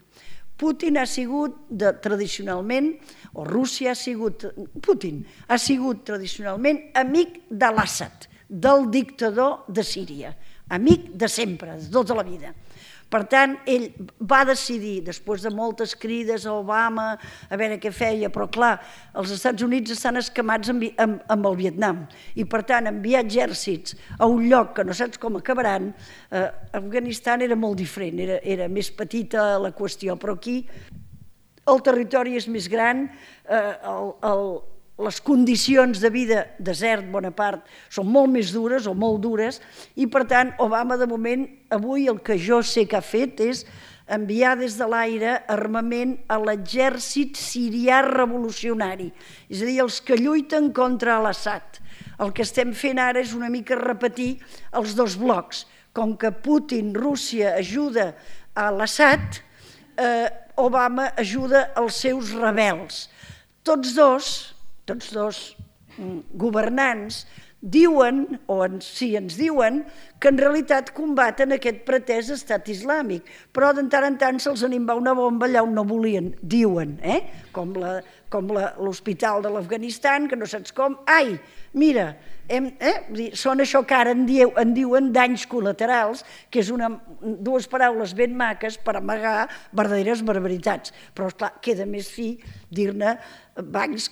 Putin ha sigut tradicionalment, o Rússia ha sigut, Putin ha sigut tradicionalment amic de l'Assad, del dictador de Síria, amic de sempre, de tota la vida. Per tant, ell va decidir, després de moltes crides a Obama, a veure què feia, però clar, els Estats Units estan escamats amb el Vietnam i per tant enviar exèrcits a un lloc que no saps com acabaran. Afganistan era molt diferent, era més petita la qüestió, però aquí el territori és més gran, les condicions de vida, desert, bona part, són molt més dures o molt dures i per tant Obama de moment, avui el que jo sé que ha fet és enviar des de l'aire armament a l'exèrcit sirià revolucionari, és a dir, els que lluiten contra l'Assad. El que estem fent ara és una mica repetir els dos blocs. Com que Putin, Rússia, ajuda a l'Assad, Obama ajuda els seus rebels. Tots dos governants diuen, o sí, ens diuen, que en realitat combaten aquest pretès estat islàmic, però de tant en tant se'ls en va una bomba allà on no volien, diuen, com l'hospital de l'Afganistan, que no saps com, ai, mira, són això que ara en diuen danys col·laterals, que és dues paraules ben maques per amagar verdaderes barbaritats, però esclar, queda més fi dir-ne danys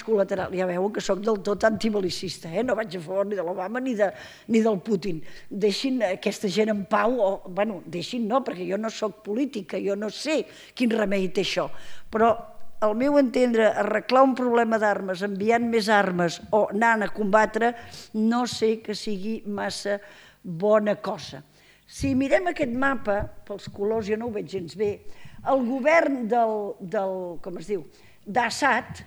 col·laterals. Ja veuen que soc del tot antibelicista, no vaig a favor ni de l'Obama ni del Putin. Deixin aquesta gent en pau, bueno, deixin no, perquè jo no soc política, jo no sé quin remei té això, però al meu entendre, arreglar un problema d'armes enviant més armes o anant a combatre, no sé que sigui massa bona cosa. Si mirem aquest mapa, pels colors jo no ho veig gens bé, el govern d'Assad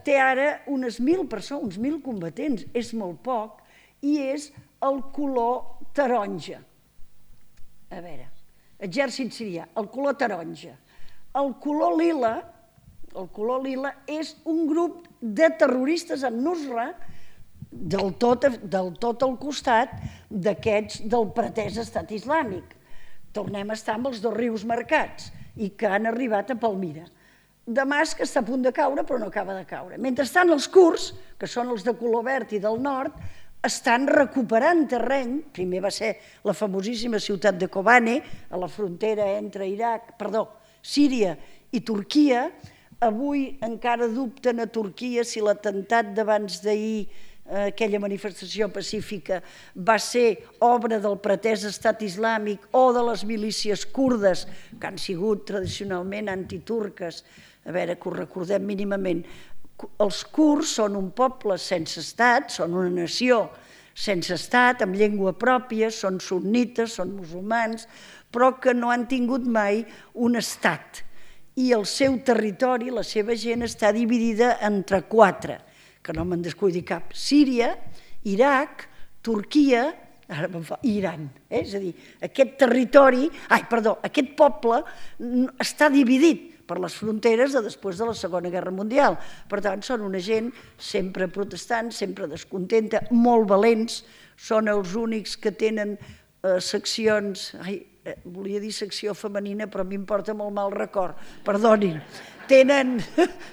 té ara unes 1.000 persones, uns 1.000 combatents, és molt poc, i és el color taronja. A veure, exèrcit sirià, el color taronja. El color lila és un grup de terroristes en Nusra del tot al costat d'aquests del pretès estat islàmic. Tornem a estar amb els dos rius marcats i que han arribat a Palmira. Damasc està a punt de caure però no acaba de caure. Mentrestant els kurds, que són els de color verd i del nord, estan recuperant terreny. Primer va ser la famosíssima ciutat de Kobane, a la frontera entre Síria i Turquia. Avui encara dubten a Turquia si l'atemptat d'abans d'ahir, aquella manifestació pacífica, va ser obra del pretès estat islàmic o de les milícies kurdes, que han sigut tradicionalment antiturques. A veure, que ho recordem mínimament. Els kurds són un poble sense estat, són una nació sense estat, amb llengua pròpia, són sunnites, són musulmans, però que no han tingut mai un estat. I el seu territori, la seva gent, està dividida entre 4, que no me'n descuidi cap: Síria, Iraq, Turquia i Iran. És a dir, aquest poble està dividit per les fronteres de després de la Segona Guerra Mundial. Per tant, són una gent sempre protestant, sempre descontenta, molt valents, són els únics que tenen seccions... Volia dir secció femenina, però m'importa molt mal record, perdonin. Tenen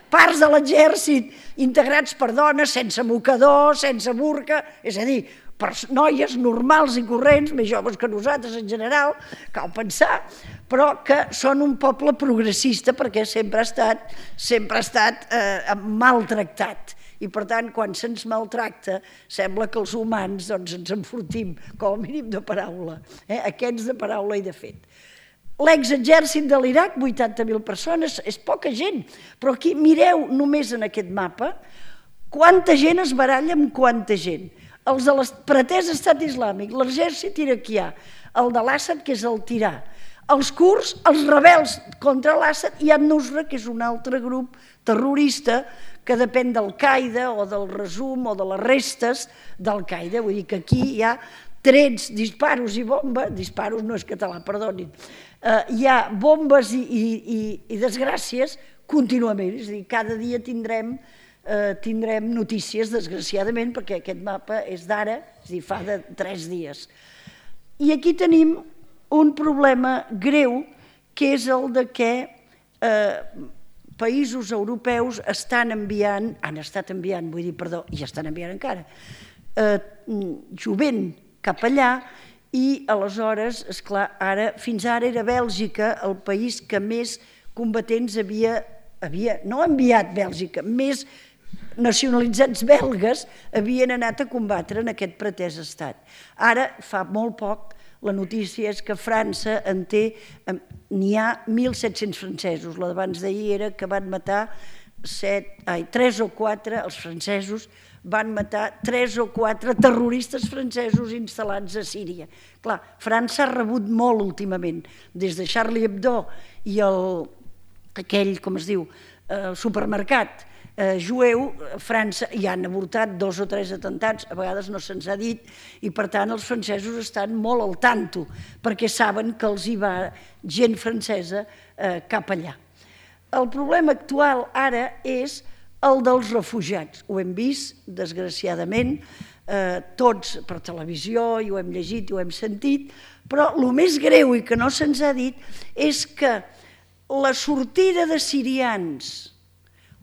parts de l'exèrcit integrats per dones, sense mocador, sense burca, és a dir, per noies normals i corrents, més joves que nosaltres en general, cal pensar, però que són un poble progressista perquè sempre ha estat maltractat. I per tant, quan se'ns maltracta, sembla que els humans ens enfortim, com a mínim de paraula, aquests de paraula i de fet. l'exèrcit de l'Iraq, 80.000 persones, és poca gent, però aquí mireu només en aquest mapa quanta gent es baralla amb quanta gent. Els de pretès estat islàmic, l'exèrcit iraquià, el de l'Assad, que és el tirà, els kurds, els rebels contra l'Assad, i An-Nusra, que és un altre grup terrorista que depèn d'Al-Qaeda o del resum o de les restes d'Al-Qaeda. Vull dir que aquí hi ha trets, disparos i bombes, disparos no és català, perdonin, hi ha bombes i desgràcies contínuament, és a dir, cada dia tindrem notícies, desgraciadament, perquè aquest mapa és d'ara, és a dir, fa de 3 dies. I aquí tenim un problema greu, que és el de que països europeus estan estat enviant, i estan enviant encara, jovent cap allà, i aleshores, esclar, fins ara era Bèlgica el país que més combatents havia, no enviat Bèlgica, més nacionalitzats belgues havien anat a combatre en aquest pretès estat. Ara, fa molt poc, la notícia és que França n'hi ha 1.700 francesos. La d'abans d'ahir era que van matar 3 o 4, els francesos van matar 3 o 4 terroristes francesos instal·lats a Síria. Clar, França ha rebut molt últimament, des de Charlie Hebdo i aquell, com es diu, supermercat jueu, a França hi han avortat 2 o 3 atemptats, a vegades no se'ns ha dit, i per tant els francesos estan molt al tanto, perquè saben que els hi va gent francesa cap allà. El problema actual ara és el dels refugiats. Ho hem vist, desgraciadament, tots per televisió, i ho hem llegit i ho hem sentit, però el més greu i que no se'ns ha dit és que la sortida de sirians,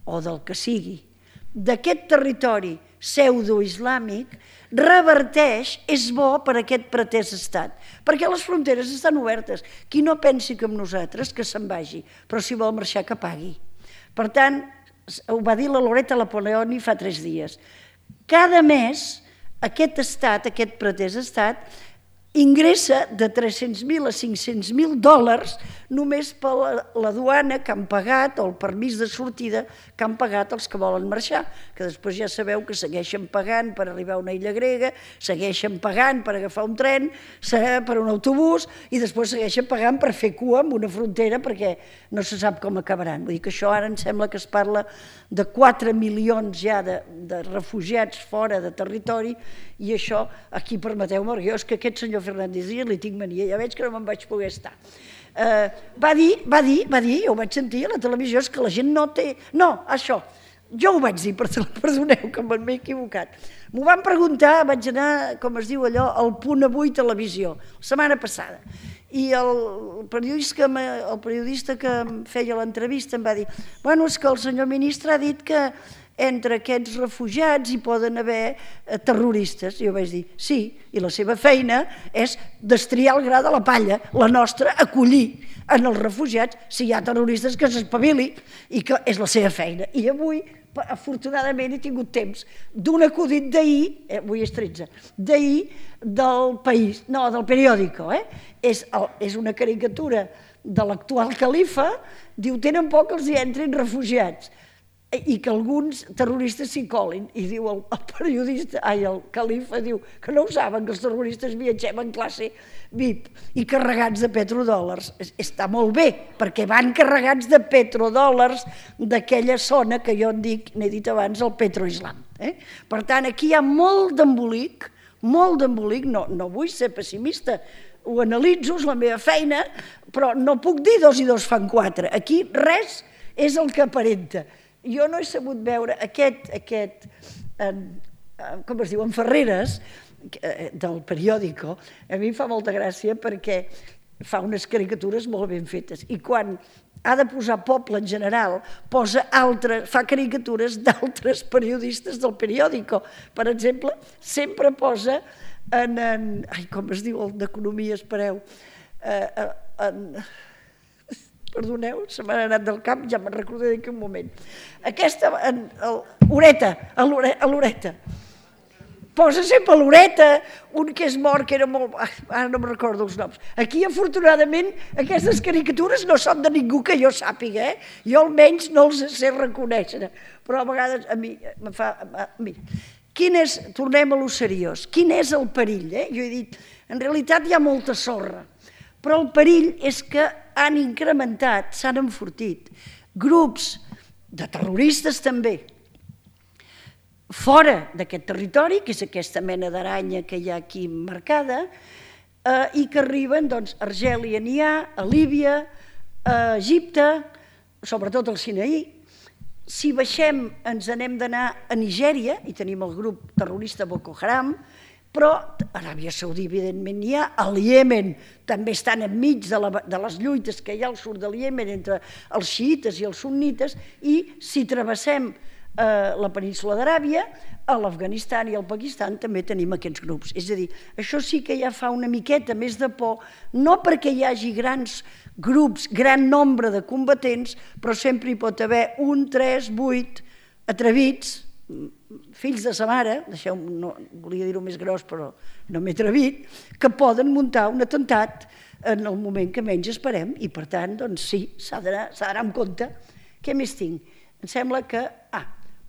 o del que sigui, d'aquest territori pseudo-islàmic reverteix, és bo per aquest pretès estat, perquè les fronteres estan obertes. Qui no pensi com nosaltres, que se'n vagi, però si vol marxar, que pagui. Per tant, ho va dir la Loretta Napoleoni fa 3 dies. Cada mes aquest estat, aquest pretès estat, ingressa de 300.000 a 500.000 dòlars només per la duana que han pagat, o el permís de sortida que han pagat els que volen marxar, que després ja sabeu que segueixen pagant per arribar a una illa grega, segueixen pagant per agafar un tren, per un autobús, i després segueixen pagant per fer cua en una frontera perquè no se sap com acabaran. Vull dir que això ara em sembla que es parla de 4 milions ja de refugiats fora de territori, i això, aquí permeteu-me, jo és que aquest senyor Fernández Díaz li tinc mania, ja veig que no me'n vaig poder estar. Va dir, jo ho vaig sentir a la televisió, és que la gent no té... No, això, jo ho vaig dir, perdoneu que m'he equivocat. M'ho van preguntar, vaig anar, com es diu allò, al Punt Avui Televisió, la setmana passada. I el periodista que em feia l'entrevista em va dir: bueno, és que el senyor ministre ha dit que entre aquests refugiats hi poden haver terroristes. I jo vaig dir, sí, i la seva feina és destriar el gra de la palla, la nostra acollir en els refugiats si hi ha terroristes que s'espavili, i que és la seva feina. I avui, afortunadament, he tingut temps d'un acudit d'ahir, avui és 13, d'ahir del País, no, del Periódico, és una caricatura de l'actual califa, diu, tenen por que els hi entrin refugiats i que alguns terroristes s'hi colin, i diu el periodista, el califa, diu que no ho saben, que els terroristes viatgem en classe VIP i carregats de petrodòlars. Està molt bé, perquè van carregats de petrodòlars d'aquella zona que jo n'he dit abans, el petroislam. Per tant, aquí hi ha molt d'embolic, no vull ser pessimista, ho analitzo, és la meva feina, però no puc dir 2 i 2 fan 4. Aquí res és el que aparenta. Jo no he sabut veure aquest, com es diu, en Ferreres, del Periódico, a mi em fa molta gràcia perquè fa unes caricatures molt ben fetes, i quan ha de posar poble en general, fa caricatures d'altres periodistes del Periódico. Per exemple, sempre posa com es diu el d'Economia, espereu, perdoneu, se m'ha anat del cap, ja me'n recordaré d'aquí un moment. Aquesta, l'Horeta, posa sempre l'oreta, un que és mort, que era molt... Ara no me'n recordo els noms. Aquí, afortunadament, aquestes caricatures no són de ningú que jo sàpiga, Jo almenys no els sé reconèixer, però a vegades a mi me fa... Mira, tornem a lo seriós, quin és el perill? Jo he dit, en realitat hi ha molta sorra, però el perill és que han incrementat, s'han enfortit, grups de terroristes també, fora d'aquest territori, que és aquesta mena d'aranya que hi ha aquí marcada, i que arriben a Argèlia n'hi ha, a Líbia, a Egipte, sobretot al Sinaí. Si baixem ens n'hem d'anar a Nigèria, i tenim el grup terrorista Boko Haram, però a Aràbia Saudí, evidentment, n'hi ha. Al Iemen també estan enmig de les lluites que hi ha al sud del Iemen entre els xiïtes i els sunnites, i si travessem la península d'Aràbia, a l'Afganistan i al Pakistan també tenim aquests grups. És a dir, això sí que ja fa una miqueta més de por, no perquè hi hagi grans grups, gran nombre de combatents, però sempre hi pot haver 1, 3, 8 atrevits, fills de sa mare, volia dir-ho més gros però no m'he atrevit, que poden muntar un atemptat en el moment que menys esperem i per tant, doncs sí, s'ha d'anar amb compte. Què més tinc? Em sembla que...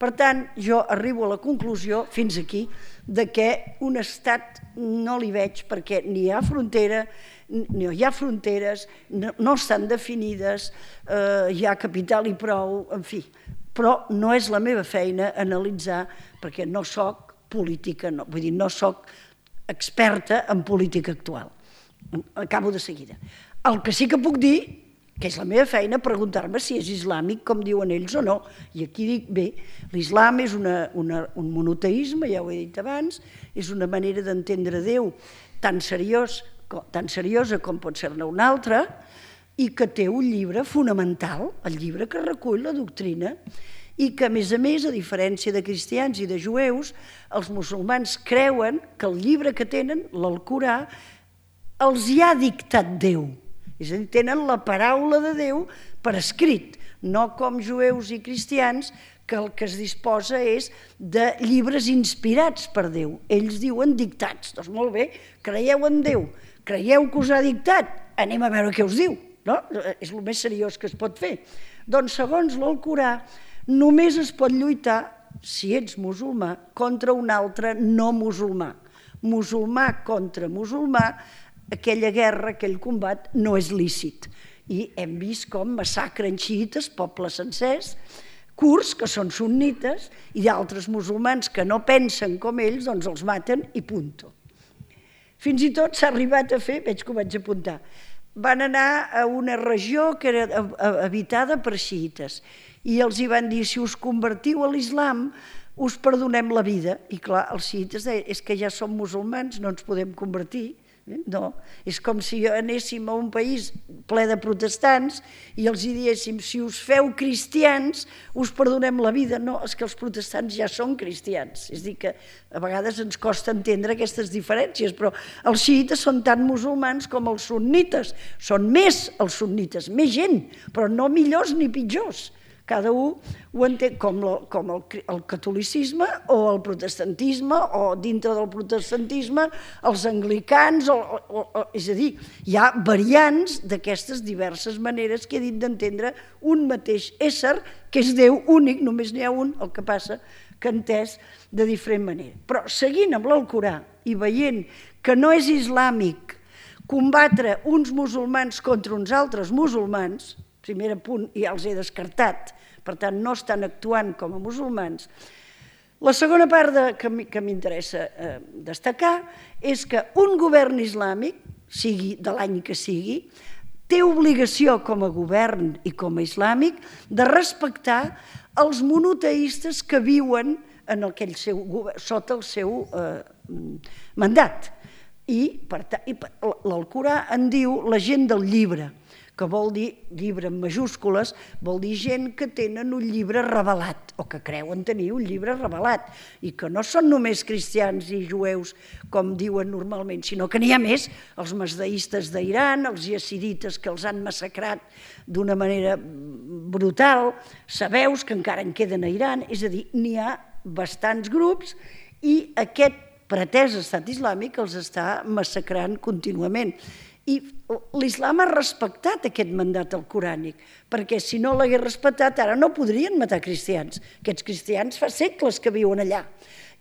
Per tant, jo arribo a la conclusió, fins aquí, de que un estat no li veig perquè ni hi ha frontera, no hi ha fronteres, no estan definides, hi ha capital i prou, en fi. Però no és la meva feina analitzar, perquè no soc política, vull dir, no soc experta en política actual. Acabo de seguida. El que sí que puc dir, que és la meva feina, preguntar-me si és islàmic, com diuen ells o no. I aquí dic, bé, l'islam és un monoteisme, ja ho he dit abans, és una manera d'entendre Déu tan seriosa com pot ser-ne una altra, i que té un llibre fonamental, el llibre que recull la doctrina, i que, a més, a diferència de cristians i de jueus, els musulmans creuen que el llibre que tenen, l'Alcorà, els hi ha dictat Déu. És a dir, tenen la paraula de Déu per escrit, no com jueus i cristians, que el que es disposa és de llibres inspirats per Déu. Ells diuen dictats. Doncs molt bé, creieu en Déu, creieu que us ha dictat, anem a veure què us diu. És el més seriós que es pot fer. Doncs, segons l'Alcorà, només es pot lluitar, si ets musulmà, contra un altre no musulmà. Musulmà contra musulmà, aquella guerra, aquell combat, no és lícit. I hem vist com massacren xiïtes, pobles sencers, kurds, que són sunnites, i d'altres musulmans que no pensen com ells, doncs els maten i punto. Fins i tot s'ha arribat a fer, veig que ho vaig apuntar, van anar a una regió que era habitada per xiïtes i els hi van dir, si us convertiu a l'islam, us perdonem la vida. I clar, els xiïtes deien, és que ja som musulmans, no ens podem convertir. No, és com si anéssim a un país ple de protestants i els diéssim, si us feu cristians us perdonem la vida. No, és que els protestants ja són cristians, és a dir que a vegades ens costa entendre aquestes diferències, però els xiïtes són tan musulmans com els sunnites, són més els sunnites, més gent, però no millors ni pitjors. Cada un ho entén com el catolicisme o el protestantisme, o dintre del protestantisme els anglicans, és a dir, hi ha variants d'aquestes diverses maneres que he dit d'entendre un mateix ésser, que és Déu únic, només n'hi ha un, el que passa que entès de diferent manera. Però seguint amb l'Alcorà i veient que no és islàmic combatre uns musulmans contra uns altres musulmans, primer punt, ja els he descartat, per tant no estan actuant com a musulmans. La segona part que m'interessa destacar és que un govern islàmic, sigui de l'any que sigui, té obligació com a govern i com a islàmic de respectar els monoteistes que viuen sota el seu mandat. I l'Alcorà en diu la gent del llibre, que vol dir, llibre en majúscules, vol dir gent que tenen un llibre revelat, o que creuen tenir un llibre revelat, i que no són només cristians i jueus, com diuen normalment, sinó que n'hi ha més, els masdeistes d'Iran, els yazidites que els han massacrat d'una manera brutal, sabeus que encara en queden a Iran, és a dir, n'hi ha bastants grups, i aquest pretès estat islàmic els està massacrant contínuament. I l'islam ha respectat aquest mandat alcorànic, perquè si no l'hagués respectat ara no podrien matar cristians. Aquests cristians fa segles que viuen allà,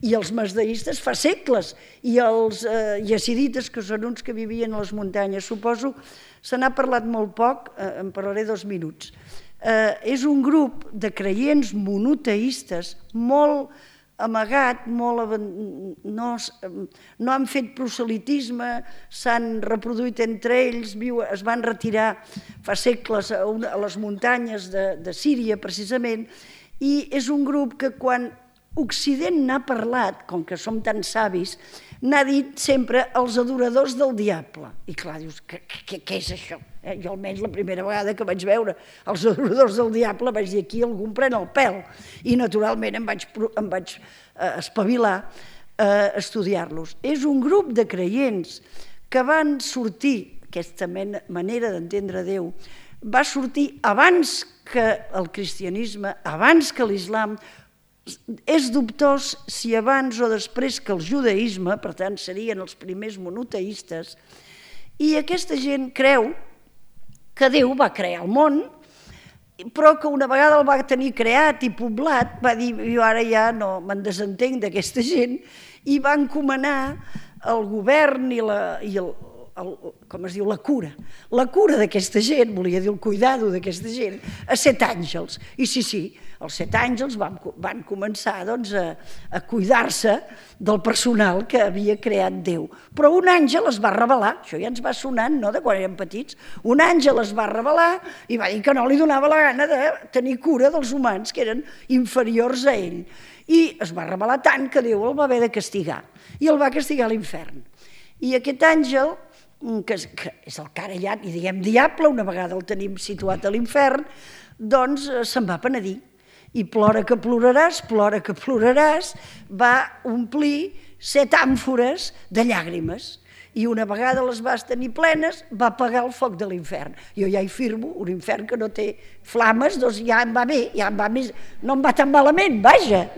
i els masdeistes fa segles, i els yazidites, que són uns que vivien a les muntanyes, suposo, se n'ha parlat molt poc, en parlaré 2 minuts. És un grup de creients monoteistes molt amagat, no han fet proselitisme, s'han reproduït entre ells, es van retirar fa segles a les muntanyes de Síria, precisament, i és un grup que quan Occident n'ha parlat, com que som tan savis, n'ha dit sempre els adoradors del diable. I clar, dius, què és això? Jo almenys la primera vegada que vaig veure els adoradors del diable vaig dir, aquí algú em pren el pèl. I naturalment em vaig espavilar a estudiar-los. És un grup de creients que van sortir, aquesta manera d'entendre Déu, va sortir abans que el cristianisme, abans que l'islam. És dubtós si abans o després que el judaïsme, per tant serien els primers monoteistes, i aquesta gent creu que Déu va crear el món, però que una vegada el va tenir creat i poblat, va dir, jo ara ja no me'n desentenc d'aquesta gent, i va encomanar el govern i com es diu, la cura. La cura d'aquesta gent, volia dir el cuidado d'aquesta gent, a 7 àngels. I sí, els 7 àngels van començar a cuidar-se del personal que havia creat Déu. Però un àngel es va rebel·lar, això ja ens va sonant, no?, de quan érem petits. Un àngel es va rebel·lar i va dir que no li donava la gana de tenir cura dels humans que eren inferiors a ell. I es va rebel·lar tant que Déu el va haver de castigar. I el va castigar a l'infern. I aquest àngel, que és el carallat, i diguem diable, una vegada el tenim situat a l'infern, doncs se'n va penedir. I plora que ploraràs, va omplir 7 àmfores de llàgrimes. I una vegada les vas tenir plenes, va apagar el foc de l'infern. Jo ja hi firmo, un infern que no té flames, doncs ja em va bé, no em va tan malament, vaja.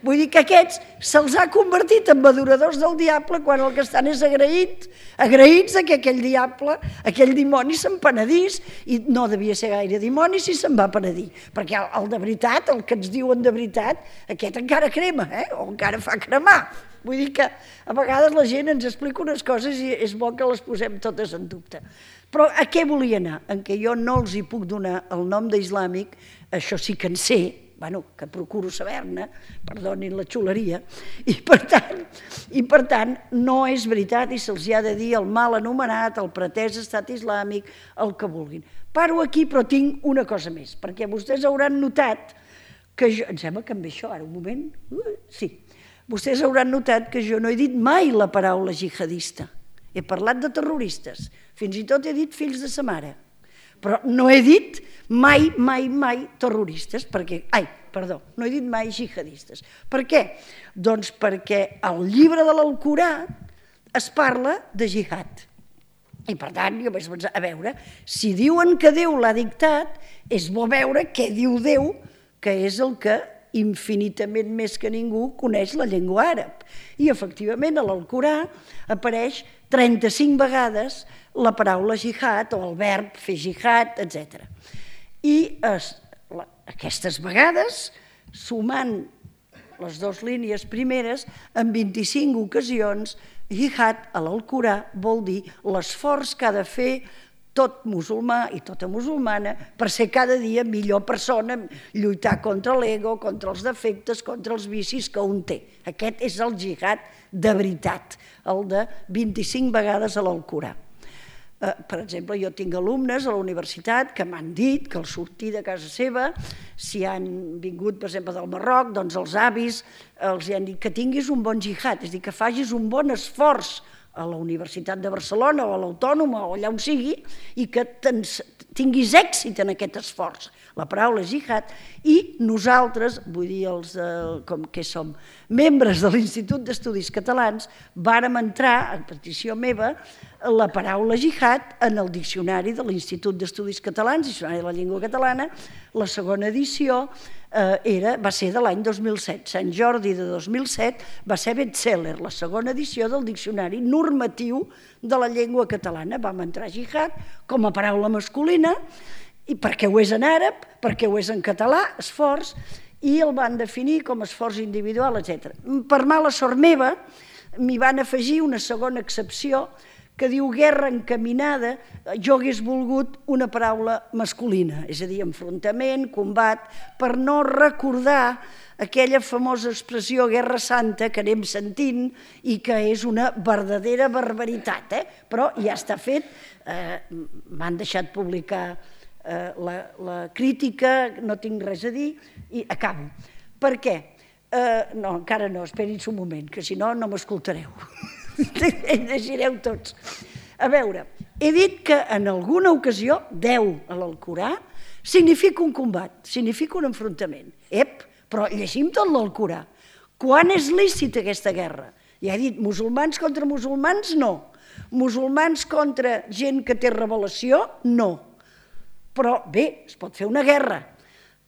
Vull dir que aquests se'ls ha convertit en adoradors del diable quan el que estan és agraïts que aquell diable, aquell dimoni se'n penedís, i no devia ser gaire dimoni si se'n va penedir, perquè el de veritat, el que ens diuen de veritat, aquest encara crema, o encara fa cremar. Vull dir que a vegades la gent ens explica unes coses i és bo que les posem totes en dubte. Però a què volia anar? En què jo no els hi puc donar el nom d'islàmic, això sí que en sé, que procuro saber-ne, perdonin la xuleria, i per tant no és veritat i se'ls ha de dir el mal anomenat, el pretès estat islàmic, el que vulguin. Paro aquí, però tinc una cosa més, perquè vostès hauran notat que jo... Em sembla que em ve això ara, un moment. Sí. Vostès hauran notat que jo no he dit mai la paraula jihadista. He parlat de terroristes, fins i tot he dit fills de sa mare, però no he dit mai terroristes, no he dit mai jihadistes. Per què? Doncs perquè al llibre de l'Alcorà es parla de jihad. I per tant, jo vaig pensar, a veure, si diuen que Déu l'ha dictat, és bo veure què diu Déu, que és el que infinitament més que ningú coneix la llengua àrab. I efectivament a l'Alcorà apareix 35 vegades la paraula jihad o el verb fer jihad, etc. I aquestes vegades, sumant les 2 línies primeres, en 25 ocasions, jihad a l'Alcorà vol dir l'esforç que ha de fer tot musulmà i tota musulmana per ser cada dia millor persona, lluitar contra l'ego, contra els defectes, contra els vicis que un té. Aquest és el jihad de veritat, el de 25 vegades a l'Alcorà. Per exemple, jo tinc alumnes a la universitat que m'han dit que al sortir de casa seva, si han vingut, per exemple, del Marroc, doncs els avis els han dit que tinguis un bon jihad, és a dir, que facis un bon esforç a la Universitat de Barcelona o a l'Autònoma o allà on sigui i que tinguis èxit en aquest esforç. La paraula jihad, i nosaltres, vull dir els com que som membres de l'Institut d'Estudis Catalans, vàrem entrar, a petició meva, la paraula jihad en el diccionari de l'Institut d'Estudis Catalans, diccionari de la llengua catalana, la segona edició, va ser de l'any 2007. Sant Jordi de 2007 va ser best-seller, la segona edició del Diccionari Normatiu de la Llengua Catalana. Vam entrar jihad com a paraula masculina, i perquè ho és en àrab, perquè ho és en català, esforç, i el van definir com a esforç individual, etc. Per mala sort meva, m'hi van afegir una segona excepció que diu guerra encaminada. Jo hagués volgut una paraula masculina, és a dir, enfrontament, combat, per no recordar aquella famosa expressió guerra santa que anem sentint i que és una verdadera barbaritat, però ja està fet. M'han deixat publicar la crítica, no tinc res a dir i acabo. Per què? No, encara no, esperi'ns un moment, que si no, no m'escoltareu. Llegireu tots. A veure, he dit que en alguna ocasió 10 a l'Alcorà significa un combat, significa un enfrontament. Però llegim tot l'Alcorà. Quan és lícita aquesta guerra? Ja he dit, musulmans contra musulmans, no. Musulmans contra gent que té revelació, no. Però bé, es pot fer una guerra.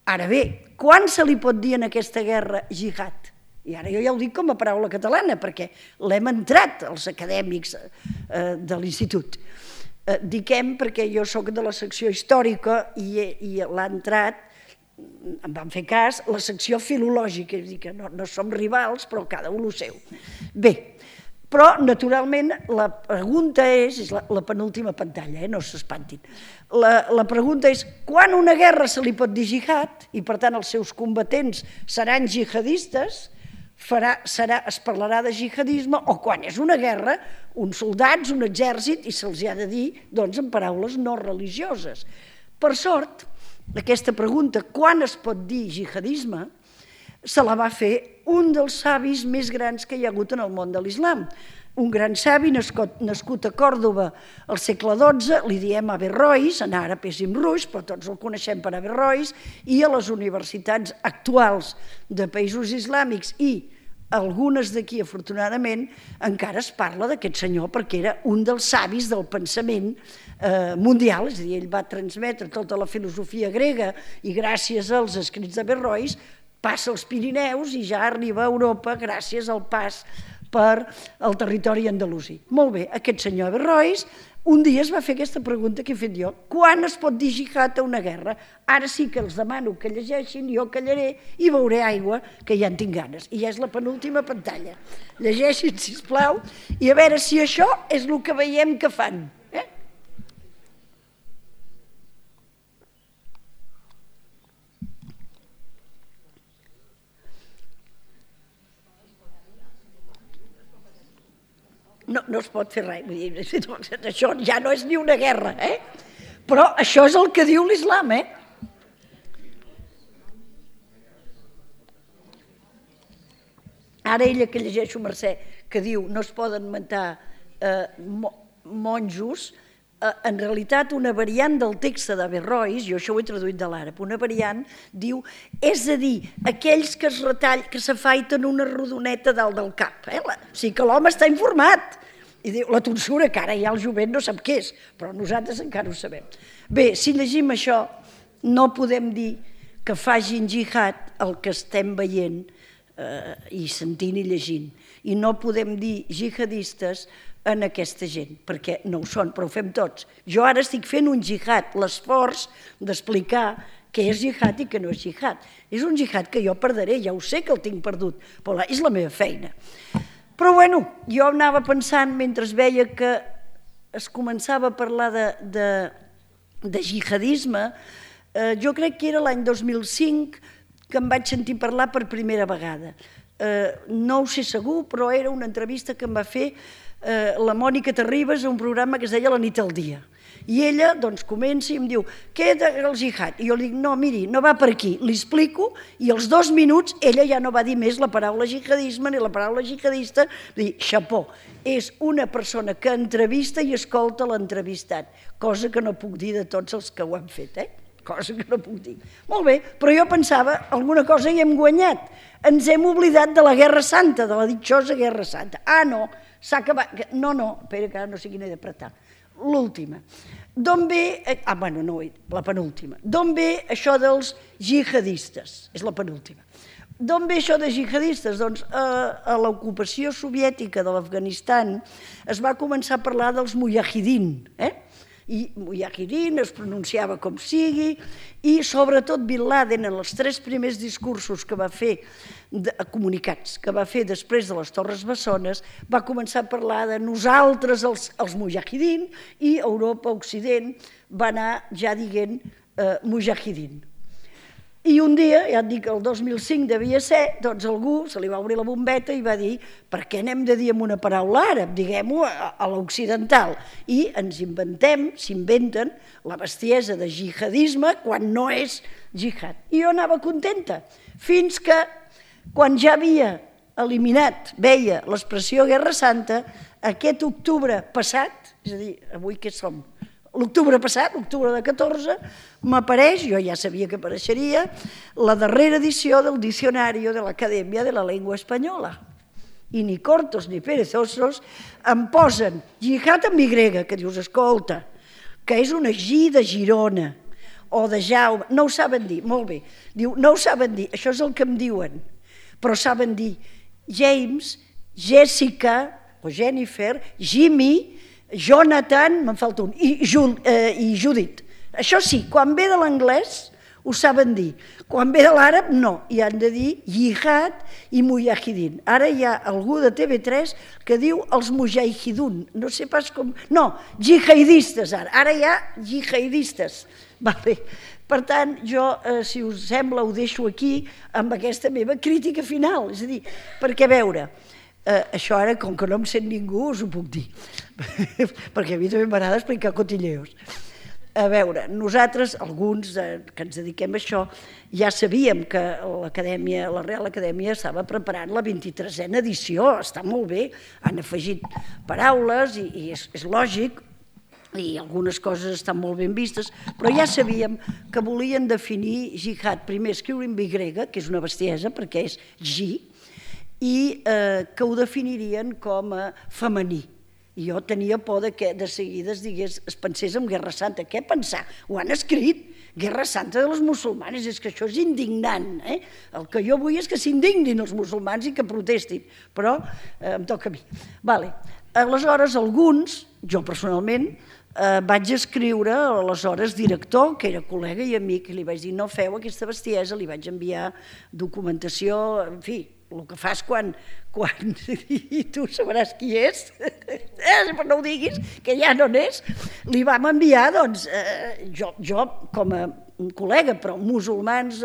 Ara bé, quan se li pot dir en aquesta guerra jihad? I ara jo ja ho dic com a paraula catalana, perquè l'hem entrat els acadèmics de l'institut. Diquem, perquè jo soc de la secció històrica i l'ha entrat, em van fer cas, la secció filològica, és a dir, que no som rivals, però cada un el seu. Bé, però naturalment la pregunta és la penúltima pantalla, no s'espantin. La pregunta és, quan una guerra se li pot dir jihad, i per tant els seus combatents seran jihadistes, es parlarà de jihadisme, o quan és una guerra, uns soldats, un exèrcit, i se'ls ha de dir en paraules no religioses. Per sort, aquesta pregunta, quan es pot dir jihadisme, se la va fer un dels savis més grans que hi ha hagut en el món de l'islam. Un gran savi nascut a Còrdova al segle XII, li diem Averrois, en àrab és Ibn Rushd, però tots el coneixem per Averrois, i a les universitats actuals de països islàmics i algunes d'aquí, afortunadament, encara es parla d'aquest senyor perquè era un dels savis del pensament mundial, és a dir, ell va transmetre tota la filosofia grega i gràcies als escrits d'Averrois passa els Pirineus i ja arriba a Europa gràcies al pas per al territori andalusí. Molt bé, aquest senyor Averrois un dia es va fer aquesta pregunta que he fet jo. Quan es pot dir jihad a una guerra? Ara sí que els demano que llegeixin, jo callaré i beuré aigua, que ja en tinc ganes. I ja és la penúltima pantalla. Llegeixin, sisplau, i a veure si això és el que veiem que fan. No es pot fer res, això ja no és ni una guerra, però això és el que diu l'islam, Ara ella que llegeixo, Mercè, que diu no es poden matar monjos, en realitat una variant del text d'Averrois, jo això ho he traduït de l'àrab, una variant diu, és a dir, aquells que es retallen, que s'afaiten una rodoneta dalt del cap, o sigui que l'home està informat, i diu, la tonsura, que ara ja el jovent no sap què és, però nosaltres encara ho sabem. Bé, si llegim això, no podem dir que facin jihad el que estem veient i sentint i llegint, i no podem dir jihadistes en aquesta gent, perquè no ho són, però ho fem tots. Jo ara estic fent un jihad, l'esforç d'explicar què és jihad i què no és jihad. És un jihad que jo perdré, ja ho sé que el tinc perdut, però és la meva feina. Però bueno, jo anava pensant, mentre veia que es començava a parlar de jihadisme, jo crec que era l'any 2005 que em vaig sentir parlar per primera vegada. No ho sé segur, però era una entrevista que em va fer la Mònica Terribas a un programa que es deia La nit al dia. I ella doncs comença i em diu, què és el jihad? I jo li dic, no, miri, no va per aquí, li explico, i als 2 minuts ella ja no va dir més la paraula jihadisme ni la paraula jihadista, dir, xapó, és una persona que entrevista i escolta l'entrevistat, cosa que no puc dir de tots els que ho han fet, cosa que no puc dir. Molt bé, però jo pensava, alguna cosa hi hem guanyat, ens hem oblidat de la Guerra Santa, de la ditxosa Guerra Santa. Ah, no, s'ha acabat, no, espera que ara no sigui ni d'apretar. l'última. D'on ve... Bueno, no, la penúltima. D'on ve això dels jihadistes? És la penúltima. D'on ve això de jihadistes? Doncs a l'ocupació soviètica de l'Afganistan es va començar a parlar dels mujahidin, i mujahidin es pronunciava com sigui, i sobretot Bin Laden, en els 3 primers discursos que va fer, comunicats, que va fer després de les Torres Bessones, va començar a parlar de nosaltres, els mujahidin, i Europa, Occident, va anar ja dient mujahidin. I un dia, ja et dic, el 2005 devia ser, doncs algú se li va obrir la bombeta i va dir per què n'hem de dir amb una paraula àrab, diguem-ho a l'occidental. I ens s'inventen la bestiesa de jihadisme quan no és jihad. I jo anava contenta, fins que quan ja havia eliminat, veia l'expressió Guerra Santa, aquest octubre passat, és a dir, avui què som? L'octubre passat, l'octubre de 14, m'apareix, jo ja sabia que apareixeria, la darrera edició del Diccionario de l'Acadèmia de la Llengua Espanyola. I ni cortos ni perezosos em posen jihad amb Y, que dius, escolta, que és una G de Girona, o de Jaume, no ho saben dir, molt bé, diu, no ho saben dir, això és el que em diuen, però saben dir James, Jessica, o Jennifer, Jimmy, Jonathan, me'n falta un, i Judith. Això sí, quan ve de l'anglès ho saben dir, quan ve de l'àrab no, i han de dir jihad i mujahidin. Ara hi ha algú de TV3 que diu els mujahidun, no sé pas com... No, jihadistes ara hi ha jihadistes. Per tant, jo, si us sembla, ho deixo aquí amb aquesta meva crítica final, és a dir, perquè a veure... Això ara, com que no em sent ningú, us ho puc dir, perquè a mi també m'agrada explicar cotilleos. A veure, nosaltres, alguns que ens dediquem a això, ja sabíem que la Real Acadèmia estava preparant la 23a edició, està molt bé, han afegit paraules i és lògic, i algunes coses estan molt ben vistes, però ja sabíem que volien definir jihad, primer escriure amb Y, que és una bestiesa, perquè és G, i que ho definirien com a femení. I jo tenia por que de seguida es pensés en Guerra Santa. Què pensar? Ho han escrit, Guerra Santa de los musulmanes, és que això és indignant. El que jo vull és que s'indignin els musulmans i que protestin, però em toca a mi. Aleshores, alguns, jo personalment, vaig escriure a l'aleshores director, que era col·lega i amic, i li vaig dir no feu aquesta bestiesa, li vaig enviar documentació, en fi, el que fas quan i tu sabràs qui és, però no ho diguis, que ja no n'és, li vam enviar, doncs, jo com a col·lega, però musulmans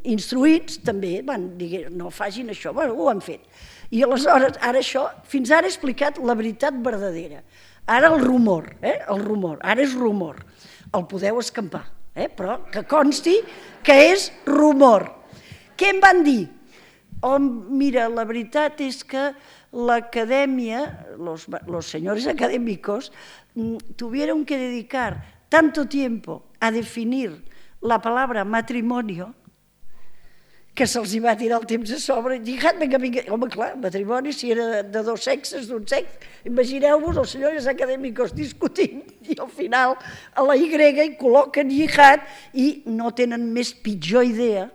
instruïts també van dir no facin això, bueno, ho han fet. I aleshores, ara això, fins ara he explicat la veritat verdadera. Ara el rumor, ara és rumor, el podeu escampar, però que consti que és rumor. Què em van dir? Mira, la veritat és que l'acadèmia, los señores académicos, tuvieron que dedicar tanto tiempo a definir la palabra matrimonio que se'ls va tirar el temps a sobre. Jihad, vinga, home, clar, matrimoni, si era de dos sexes, d'un sexe, imagineu-vos els senyors acadèmics discutint i al final a la Y hi col·loquen jihad i no tenen més pitjor idea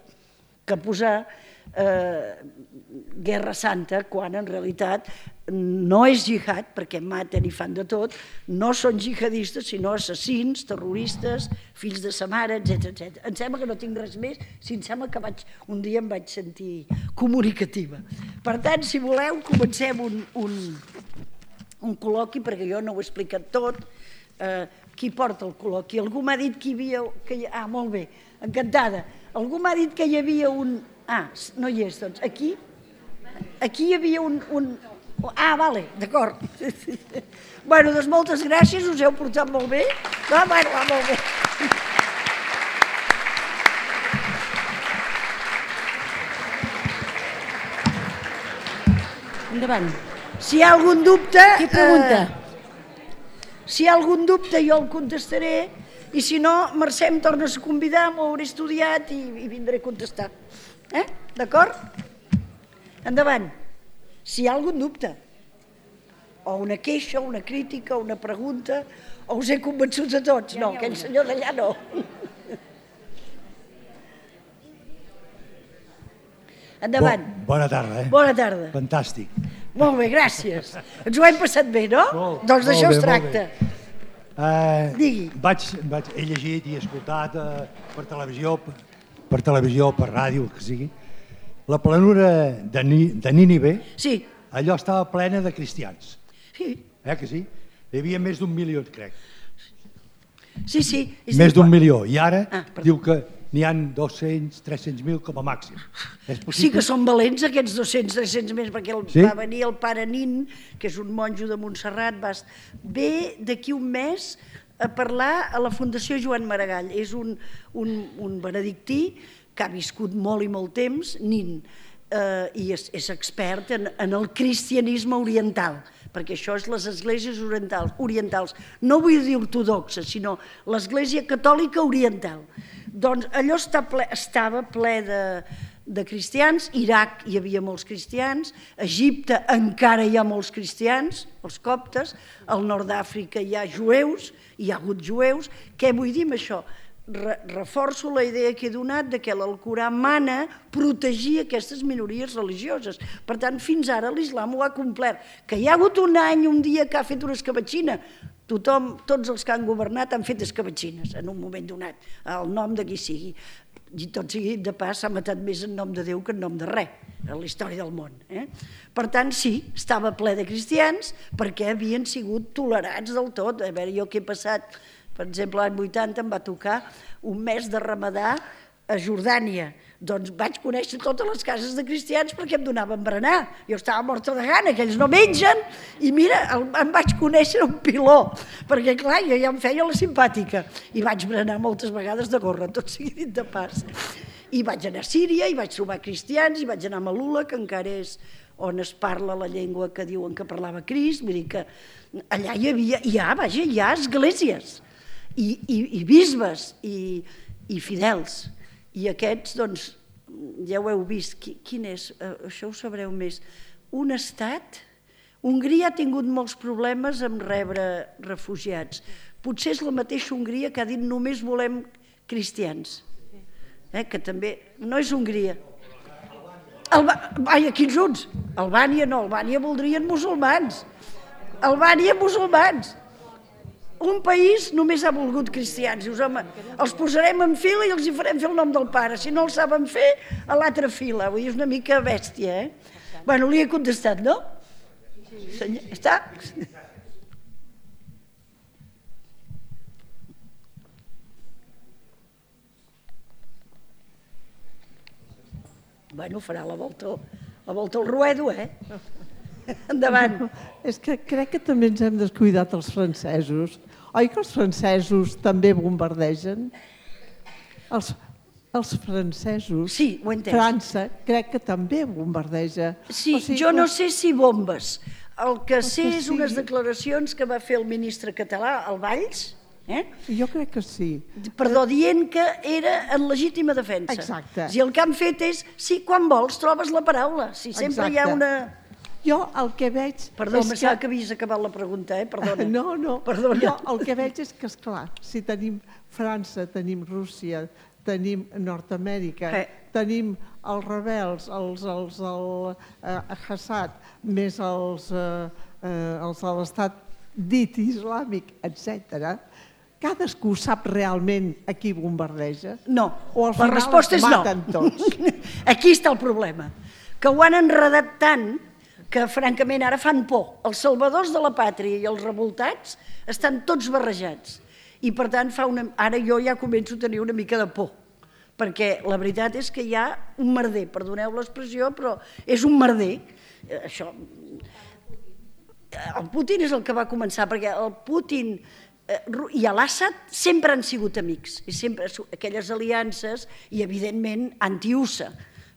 que posar Guerra Santa quan en realitat no és jihad perquè maten i fan de tot, no són jihadistes sinó assassins, terroristes, fills de sa mare, etc. Em sembla que no tinc res més, si em sembla que un dia em vaig sentir comunicativa. Per tant, si voleu, comencem un col·loqui, perquè jo no ho he explicat tot. Qui porta el col·loqui? Algú m'ha dit que hi havia... Ah, molt bé, encantada. Algú m'ha dit que hi havia un... Ah, no hi és, doncs. Aquí hi havia un... Ah, vale, d'acord. Bueno, doncs moltes gràcies, us heu portat molt bé. Va, molt bé. Endavant. Si hi ha algun dubte... Qui pregunta? Si hi ha algun dubte jo el contestaré i si no, Mercè em tornes a convidar, m'ho hauré estudiat i vindré a contestar. D'acord? Endavant. Si hi ha algun dubte. o una queixa, una crítica, una pregunta, o us he convençut a tots? No, aquell senyor d'allà no. Endavant. Bona tarda, Bona tarda. Fantàstic. Molt bé, gràcies. Ens ho hem passat bé, no? Doncs d'això es tracta. Digui. He llegit i escoltat per televisió, per ràdio, que sigui. La planura de Nínive, Sí. allò estava plena de cristians. Sí, Que sí? Hi havia més d'1 milió, crec. sí. Més d'1 milió. I ara perdó. diu que n'hi ha 200, 300.000 com a màxim. És Sí possible? que són valents aquests 200, 300 més, perquè va venir el pare Nin, que és un monjo de Montserrat, ve d'aquí un mes a parlar a la Fundació Joan Maragall. És un benedictí que ha viscut molt i molt temps, Nin, i és expert en el cristianisme oriental, perquè això és les esglésies orientals. No vull dir ortodoxes, sinó l'església catòlica oriental. Doncs allò estava ple de cristians, Iraq hi havia molts cristians, Egipte encara hi ha molts cristians, els coptes, al nord d'Àfrica hi ha jueus, hi ha hagut jueus. Què vull dir amb això? Reforço la idea que he donat de que l'Alcorà mana protegir aquestes minories religioses. Per tant, fins ara l'islam ho ha complert. Que hi ha hagut un any, un dia que ha fet una escabatxina, tots els que han governat han fet escabatxines en un moment donat, el nom de qui sigui. I tot sigui de pas, s'ha matat més en nom de Déu que en nom de res, a la història del món. Per tant, sí, estava ple de cristians perquè havien sigut tolerats del tot. A veure, jo que he passat, per exemple, l'any 80 em va tocar un mes de Ramadà a Jordània. Doncs vaig conèixer totes les cases de cristians perquè em donaven berenar. Jo estava morta de gana, que ells no mengen, i mira, em vaig conèixer un piló, perquè clar, jo ja em feia la simpàtica, i vaig berenar moltes vegades de gorra, tot sigui dit de pas. I vaig anar a Síria, i vaig trobar cristians, i vaig anar a Malula, que encara és on es parla la llengua que diuen que parlava Crist, vull dir que allà hi ha esglésies, i bisbes, i fidels. I aquests, doncs, ja ho heu vist, quin és? Això ho sabreu més. Un estat, Hongria ha tingut molts problemes en rebre refugiats. Potser és la mateixa Hongria que ha dit només volem cristians. Que també, no és Hongria. Ai, quins uns? Albània no, Albània voldrien musulmans. Albània, musulmans. Un país només ha volgut cristians. Dius, home, els posarem en fila i els hi farem fer el nom del pare. Si no el saben fer, a l'altra fila. Vull dir, és una mica bèstia, Bueno, li he contestat, no? Sí. Està? Bueno, farà la volta al ruedo, Endavant. És que crec que també ens hem descuidat els francesos. Oi que els francesos també bombardegen? Els francesos, Sí, ho he entès. França, crec que també bombardeja. Sí, O sigui, jo no sé si bombes. El que sé que és unes sigui. declaracions que va fer el ministre català, el Valls, Jo crec que sí. perdó, dient que era en legítima defensa. Exacte. I el que han fet és, sí, quan vols trobes la paraula. Si sempre hi ha Exacte. una... Jo el que veig... Perdó, és em sembla que havies acabat la pregunta, perdona. No. Perdona. Jo el que veig és que, esclar, si tenim França, tenim Rússia, tenim Nord-amèrica, tenim els rebels, el Assad, més els de l'estat dit islàmic, etc. Cadascú sap realment a qui bombardeja? No, O al la final resposta és els no. maten tots? Aquí està el problema, que ho han enredat tant que francament ara fan por. Els salvadors de la pàtria i els revoltats estan tots barrejats. I per tant ara jo ja començo a tenir una mica de por, perquè la veritat és que hi ha un merder, perdoneu l'expressió, però és un merder. Això... El Putin és el que va començar, perquè el Putin i l'Assad sempre han sigut amics, i sempre aquelles aliances, i evidentment anti-USA.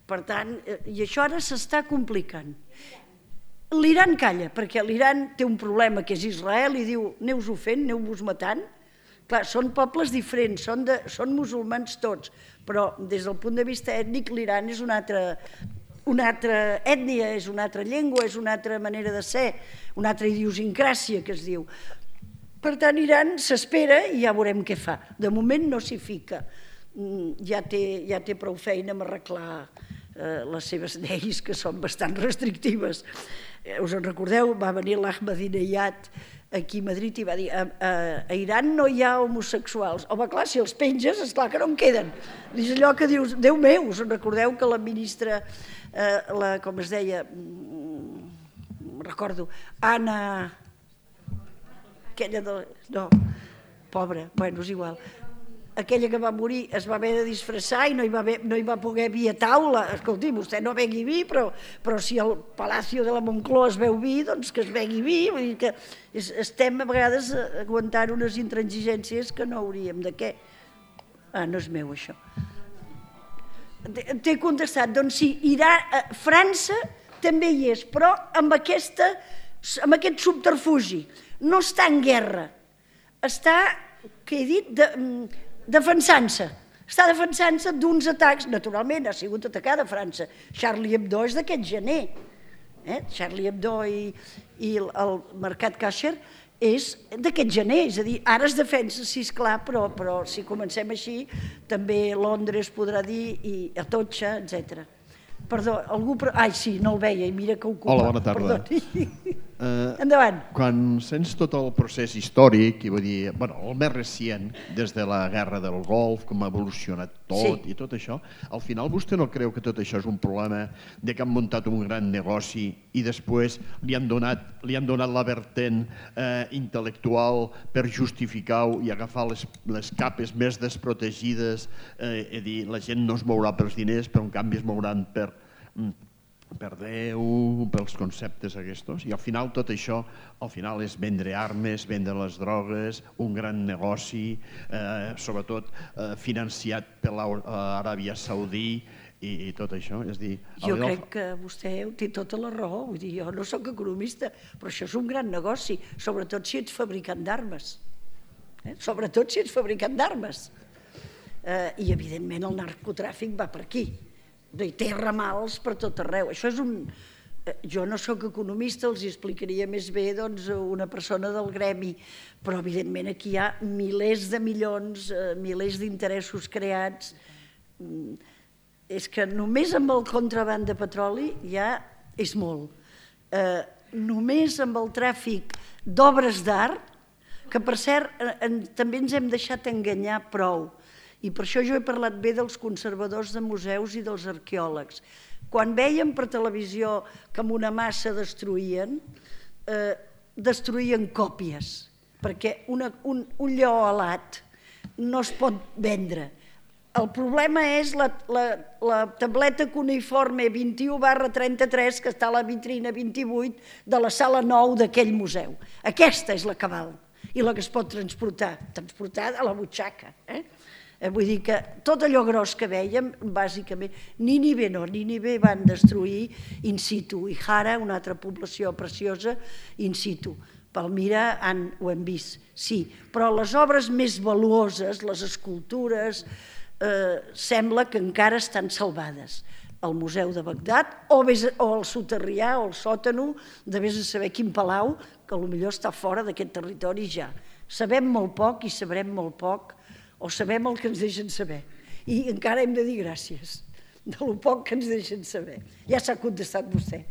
Per tant, i això ara s'està complicant. L'Iran calla, perquè l'Iran té un problema que és Israel i diu aneu-vos fent, aneu-vos matant. Clar, són pobles diferents, són musulmans tots, però des del punt de vista ètnic l'Iran és un altre... una altra ètnia, és una altra llengua, és una altra manera de ser, una altra idiosincràsia que es diu. Per tant, Iran s'espera i ja veurem què fa. De moment no s'hi fica. Ja té prou feina amb arreglar les seves lleis, que són bastant restrictives. Us en recordeu? Va venir l'Ahmadinejad aquí a Madrid i va dir a Iran no hi ha homosexuals. Home, clar, si els penges, esclar que no en queden. És allò que dius, Déu meu, us en recordeu que la ministra, com es deia, recordo, Anna... aquella de... no, pobra, bueno, és igual. Aquella que va morir es va haver de disfressar i no hi va poder vi a taula. Escolti, vostè no begui vi, però si al Palacio de la Moncloa es veu vi, doncs que es begui vi. Vull dir que estem a vegades aguantant unes intransigències que no hauríem de què. No és meu, això. T'he contestat, doncs sí, França també hi és, però amb aquest subterfugi. No està en guerra, està, què he dit, defensant-se. Està defensant-se d'uns atacs, naturalment ha sigut atacada França. Charlie Hebdo és d'aquest gener. Charlie Hebdo i el Mercat Cacher és d'aquest gener, és a dir, ara es defensa, sí, esclar, però si comencem així, també Londres podrà dir, i Atocha, etc. Perdó, algú... Ai, sí, no el veia, i mira que ocupa. Hola, bona tarda. Endavant. Quan sents tot el procés històric, i vull dir, el més recient, des de la guerra del Golf, com ha evolucionat tot i tot això, al final vostè no creu que tot això és un problema de que han muntat un gran negoci i després li han donat la vertent intel·lectual per justificar-ho i agafar les capes més desprotegides, és a dir, la gent no es mourà pels diners, però en canvi es mouran per Déu, pels conceptes aquests, i al final tot això és vendre armes, vendre les drogues, un gran negoci, sobretot financiat per l'Aràbia Saudí i tot això. Jo crec que vostè té tota la raó, vull dir, jo no soc economista, però això és un gran negoci, sobretot si ets fabricant d'armes. Sobretot si ets fabricant d'armes. I evidentment el narcotràfic va per aquí. Té ramals per tot arreu. Això és jo no soc economista, els explicaria més bé una persona del gremi, però evidentment aquí hi ha milers de milions, milers d'interessos creats. És que només amb el contraban de petroli ja és molt. Només amb el tràfic d'obres d'art, que per cert també ens hem deixat enganyar prou. I per això jo he parlat bé dels conservadors de museus i dels arqueòlegs. Quan veiem per televisió que amb una massa destruïen còpies, perquè un lleó alat no es pot vendre. El problema és la tableta cuneiforme 21/33 que està a la vitrina 28 de la sala 9 d'aquell museu. Aquesta és la que val i la que es pot transportar a la butxaca. Vull dir que tot allò gros que vèiem, bàsicament, Nínive van destruir in situ, i Hara, una altra població preciosa, in situ. Palmira ho hem vist, sí, però les obres més valuoses, les escultures, sembla que encara estan salvades. Al Museu de Bagdad, o al soterrià, o al sòtano, de vés a saber quin palau, que potser està fora d'aquest territori ja. Sabem molt poc i sabrem molt poc, o sabem el que ens deixen saber. I encara hem de dir gràcies de lo poc que ens deixen saber. Ja s'ha contestat vostè.